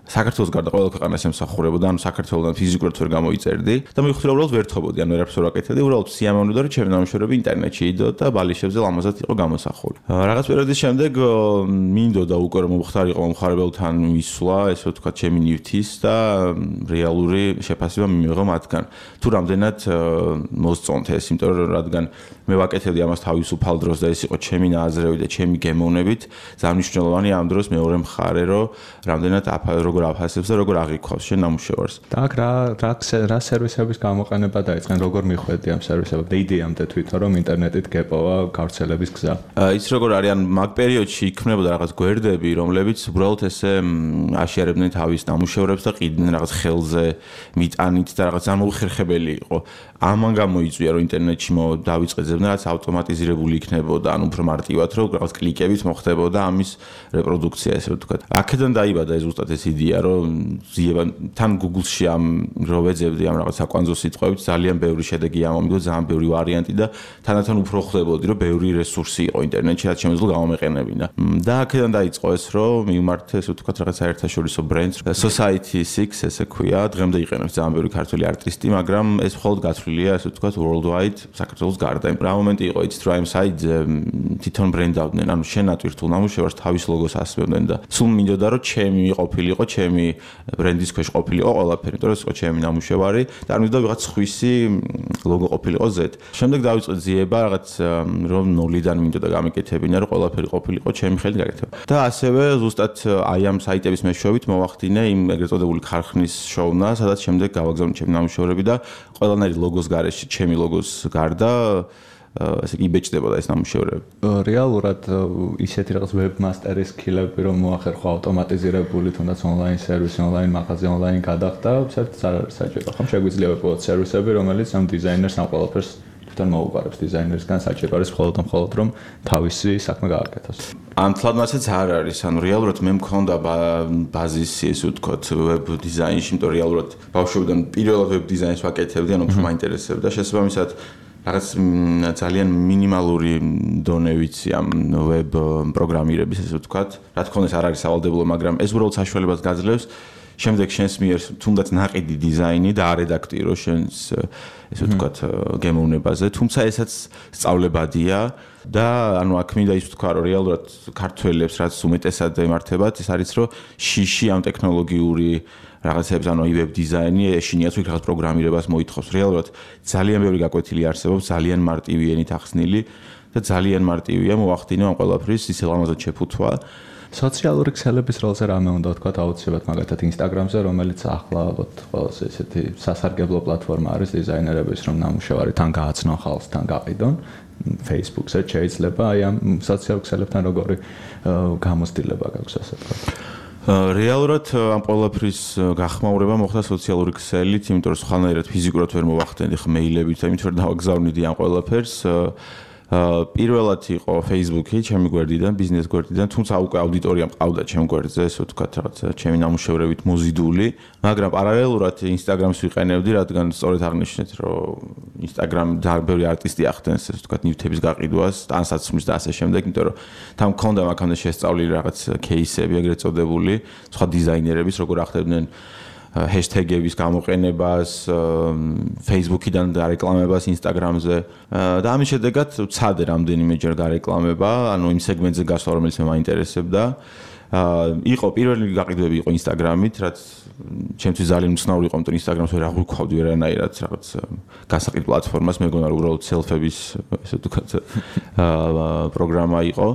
Speaker 4: საქართველოს გარდა ყველა ქვეყანას ემსახურებოდა, ანუ საქართველოსთან ფიზიკურად ვერ გამოიწერდი და მივხვდი რომ უბრალოდ ვერთობოდი, ანუ ვერაფერს ვერ ვაკეთებდი, უბრალოდ სიამოვნებდა რომ ჩემი ნამუშევრები ინტერნეტში იდო და ბალიშებზე ლამაზად იყო გამოსახული. რაღაც პერიოდის შემდეგ მინდოდა უკვე რომ მომხდარიყო მომხარებელთან ვისვლა, ესე ვთქვათ, ჩემი ნივთის და რეალური შეფასება მიმიღო მათგან. თუ რამდენად მოსწონთ ეს, იმიტომ რომ რადგან მე ვაკეთებდი ამას თავისუფალ დროს და ეს იყო ჩემი ნაზრევი და ჩემი გემოვნებით, ძალიან მნიშვნელოვანია ამ დროს მეორე მხარე, რომ რამდენად როგორ აფასებს და როგორ აღიქვავს შენ ნამუშევარს.
Speaker 16: და აქ რა სერვისების გამოყენება დაიწყენ, როგორ მიხვედი ამ სერვისებებს? იდეამდე თვითონ რომ ინტერნეტით გეპოვა გავრცელების გზა.
Speaker 4: ის როგორ არის, ან მაგ პერიოდში იქმნებოდა რაღაც გვერდები, რომლებიც უბრალოდ ესე აშიარებდნენ თავის ნამუშევრებს და ყიდნენ რაღაც ხელზე მიტანით და რაღაც ამოუხერხებელი იყო. ამან გამოიწვია რომ ინტერნეტში დავიწყეძებდნენ რაც ავტომატიზირებული იქნებოდა, ან უფრო მარტივად რომ რაღაც კლიკებით მოხდებოდა ამის რეპროდუქცია, ესე ვთქვათ. აქედან დაიბადა ზუსტად ეს იდეა, რომ ზიება თან Google-ში ამ რო ვეძებდი ამ რაღაც საკვანძო სიტყვებით ძალიან ბევრი შედეგი ამომიგო, ძალიან ბევრი ვარიანტი და თანდათან უფრო ხვდებოდი რომ ბევრი რესურსი იყო ინტერნეტში, რაც შემეძლო გამომეყენებინა. და აქედან დაიწყო ეს რომ მივმართე, ესე ვთქვათ, რაღაც საერთაშორისო ბრენდს, Society 6 ესე ქვია, დღემდე იყენებს ძალიან ბევრი ქართველი არტისტი, მაგრამ ეს მხოლოდ გათვლილია, ესე ვთქვათ, worldwide, საქართველოს გარდა. რა მომენტი იყო იცით რა იმ საიტზე თვითონ ბრენდავდნენ, ანუ შენ ატვირთულ ნამუშევარს თავის ლოგოს ასმევდნენ და სულ მინდოდა რომ ჩემი ყოფილიყო, ჩემი ბრენდის ქვეშ ყოფილიყო ყველაფერი, იმიტომ რომ ეს იყო ჩემი ნამუშევარი და არ მინდოდა ვიღაც სხვისი ლოგო ყოფილიყო Z. შემდეგ დავიწყე ძიება რაღაც რომ ნოლიდან მინდოდა გამეკეთებინა, რომ ყველაფერი ყოფილიყო ჩემი ხელით გაკეთება. და ასევე ზუსტად აი ამ საიტების მეშვეობით მოვახდინე იმ ეგრეთ წოდებული ქარხნის შოუნა, სადაც შემდეგ გავაგზავნე ჩემი ნამუშევრები და ყველანაირი ლოგოს გარეშე, ჩემი ლოგოს გარდა ესე იგი იბეჭდებოდა ეს ნამუშევრები.
Speaker 16: რეალურად ისეთი რაღაც ვებმასტერის სკილები რომ მოახერხო ავტომატიზირებული თუნდაც ონლაინ სერვისი, ონლაინ მაღაზია, ონლაინ გადახდა, საერთოდ არ არის საჭირო. ხომ შეგვიძლია ვებოთ სერვისები, რომელიც ამ დიზაინერს ამ ყველაფერს თვითონ მოუყარებს დიზაინერისგან, საჭირო არის მხოლოდ რომ თავისი საქმე გააკეთოს.
Speaker 4: ამთლად მასაც არ არის, ანუ რეალურად მე მქონდა ბაზისი, ესე ვთქვათ, ვებ დიზაინში, იმიტომ რეალურად ბავშვობიდან პირველად ვებ დიზაინს ვაკეთებდი, ანუ უფრო მაინტერესებდა. შესაბამისად რაღაც ძალიან მინიმალური დონე ვიცი ამ ვებ პროგრამირების, ესე ვთქვათ. რა თქმა უნდა, ეს არ არის სავალდებულო, მაგრამ ეს უბრალოდ საშუალებას გაძლევს შემდეგ შენს მიერ თუნდაც ნაყიდი დიზაინი და არედაქტირო შენს ესე ვთქვათ გემოვნებაზე, თუმცა ესაც სწავლებადია და ანუ აქ მინდა ის ვთქვა, რომ რეალურად ქართველებს რაც უმეტესად ემართებათ, ეს არის რომ შიში ამ ტექნოლოგიური რაღაცებს, ანუ ვებ დიზაინი ეშინიათ იქ რაღაც პროგრამირებას მოითხოვს. რეალურად ძალიან ბევრი გაკვეთილი არსებობს, ძალიან მარტივი ენით ახსნილი და ძალიან მარტივია მოვახდინო ამ ყველაფრის ისე ლამაზად შეფუთვა.
Speaker 16: სოციალური ქსელების როლზე რამე უნდა ვთქვათ აუცილებლად მაგათად Instagram-ზე, რომელიც ახლა ალბათ ყველაზე ესეთი სასარგებლო პლატფორმა არის დიზაინერების, რომ ნამუშევარი თან გააცნონ ხალხს, თან გაყიდონ. Facebook-ზე შეიძლება აი ამ სოციალურ ქსელებთან როგორი გამოცდილება გაქვს, ასე ვთქვათ.
Speaker 4: რეალურად ამ ყველაფრის გახმაურება მოხდა სოციალური ქსელით, იმიტომ რომ სხვანაირად ფიზიკურად ვერ მოვახდენდი მეილებით, იმიტომ რომ დავაგზავნიდი ამ ყველაფერს. პირველად იყო Facebook-ი, ჩემი გვერდიდან, ბიზნეს გვერდიდან, თუმცა უკვე აუდიტორია მყავდა ჩემ გვერდზე, ესე ვთქვათ, რაღაც ჩემი ნამუშევრებით მოზიდული, მაგრამ პარალელურად Instagram-ს ვიყენებდი, რადგან სწორედ აღნიშნეთ, რომ Instagram ძალიან ბევრი არტისტი ახდენს, ესე ვთქვათ, ნივთების გაყიდვას, ტანსაცმლის და ასე შემდეგ, იმიტომ რომ თან მქონდა მაგამდე შესწავლილი რაღაც кейსები, ეგრეთ წოდებული, სხვა დიზაინერების, როგორ ახდებდნენ ჰეშტეგების გამოყენებას, Facebook-იდან გარეკლამებას Instagram-ზე და ამის შედეგად ვცადე რამდენიმეჯერ გარეკლამება, ანუ იმ სეგმენტზე გასვლა, რომელიც მე მაინტერესებდა. იყო პირველი გაყიდვები იყო Instagram-ით, რაც ჩემთვის ძალიან უცნაური იყო, იმიტომ Instagram-ს ვერ აღვიქვავდი ვერანაირად რაღაც გასაყიდ პლატფორმას, მეგონა რომ უბრალოდ სელფების ესე ვთქვათ პროგრამა იყო.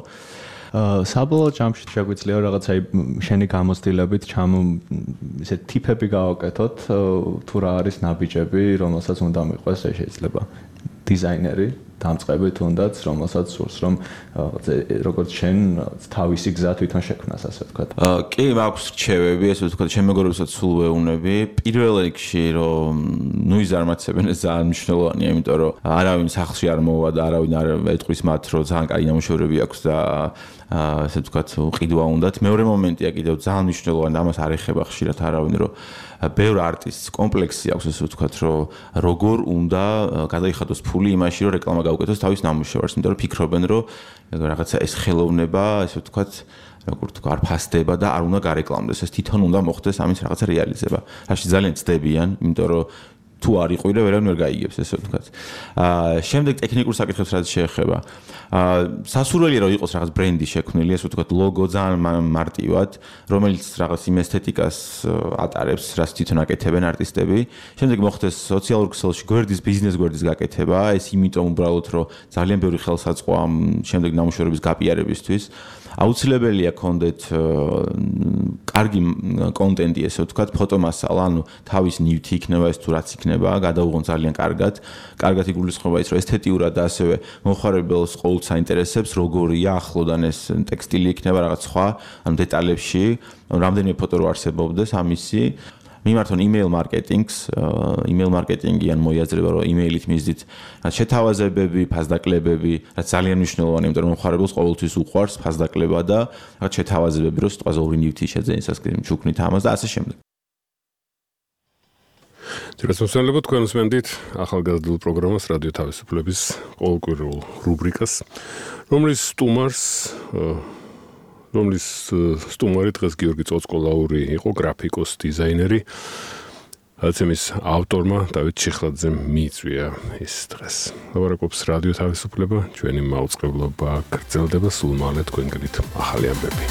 Speaker 16: საბოლოო ჯამში შეგვიძლია რაღაც აი შენი გამოცდილებით ისე ტიპები გავაკეთოთ, თუ რა არის ნაბიჯები, რომელსაც უნდა მიყვეს, შეიძლება დიზაინერი დამწყები თუნდაც, რომელსაც სურს რომ როგორც შენ თავისი გზა თვითონ შექმნას, ასე ვთქვათ.
Speaker 4: კი, მაქვს რჩევები, ესე ვთქვათ, ჩემ მეგობრებსაც სულ ვეუბნები. პირველ რიგში რომ ნუ იზარმაცებენ, ეს ძალიან მნიშვნელოვანია, იმიტომ რომ არავინ სახლში არ მოვა და არავინ არ ეტყვის მათ, რომ ძალიან კაი ნამუშევრები აქვს და ასე ვთქვათ, ყიდვა უნდათ. მეორე მომენტია კიდევ ძალიან მნიშვნელოვანი, ამას არ ეხება ხშირად არავინ, რომ ბევრ არტისტს კომპლექსი აქვს, ასე ვთქვათ, რომ როგორ უნდა გადაიხადოს ფული იმაში, რომ რეკლამა გაუკეთოს თავის ნამუშევარს, იმიტომ რომ ფიქრობენ, რომ რაღაცა ეს ხელოვნება, ასე ვთქვათ, როგორ თქვა, არ ფასდება და არ უნდა გარეკლამდეს, ეს თვითონ უნდა მოხდეს ამის რაღაცა რეალიზება. რაში ძალიან ცდებიან, იმიტომ რომ თუ არ იყვირე, ვერავინ ვერ გაიგებს, ესე ვთქვათ. შემდეგ ტექნიკურ საკითხებს რაც შეეხება. სასურველია რომ იყოს რაღაც ბრენდი შექმნილი, ესე ვთქვათ, ლოგო ძალიან მარტივად, რომელიც რაღაც იმ ესთეტიკას ატარებს, რაც თვითონ აკეთებენ არტისტები. შემდეგ მოხდეს სოციალურ ქსელში გვერდის, ბიზნეს გვერდის გაკეთება, ეს იმიტომ უბრალოდ რომ ძალიან ბევრი ხელსაწყო ამ შემდეგ ნამუშევრების გაპიარებისთვის. აუცილებელია კონდეთ კარგი კონტენტი, ესე ვთქვათ, ფოტომასალა, ანუ თავის ნივთი იქნება ეს თუ რაც იქნება, გადაუღონ ძალიან კარგად იგულისხმება ის, რომ ესთეტიურად და ასევე მოხარებელს ყოველთვის საინტერესებს, როგორია ახლოდან ეს ტექსტილი იქნება რაღაც სხვა, ანუ დეტალებში, რამდენიმე ფოტო რო არსებობდეს ამისი მიმართონ email marketing-ი ან მოიაზრება რომ email-ით მისდით შეთავაზებები, ფასდაკლებები, რაც ძალიან მნიშვნელოვანია, იმიტომ რომ მომხარებელს ყოველთვის უყვარს ფასდაკლება და რაღაც შეთავაზებები, რომ სიტყვაზე ორი ნივთი შეძენის ჩუქნით ამას და ასე შემდეგ.
Speaker 2: ძირითადად თქვენ უსმენთ ახალგაზრდულ პროგრამას რადიო თავისუფლების ყოველკვირეულ რუბრიკას, რომლის სტუმარი დღეს გიორგი წოწყოლაური იყო, გრაფიკოს დიზაინერი. ამის ავტორმა დავით ჩიხლაძემ მიიწვია ის დღეს. ლაპარაკობს რადიო თავისუფლება, ჩვენი მაუწყებლობა გრძელდება სულ მალე თქვენგანით ახალი ამბები.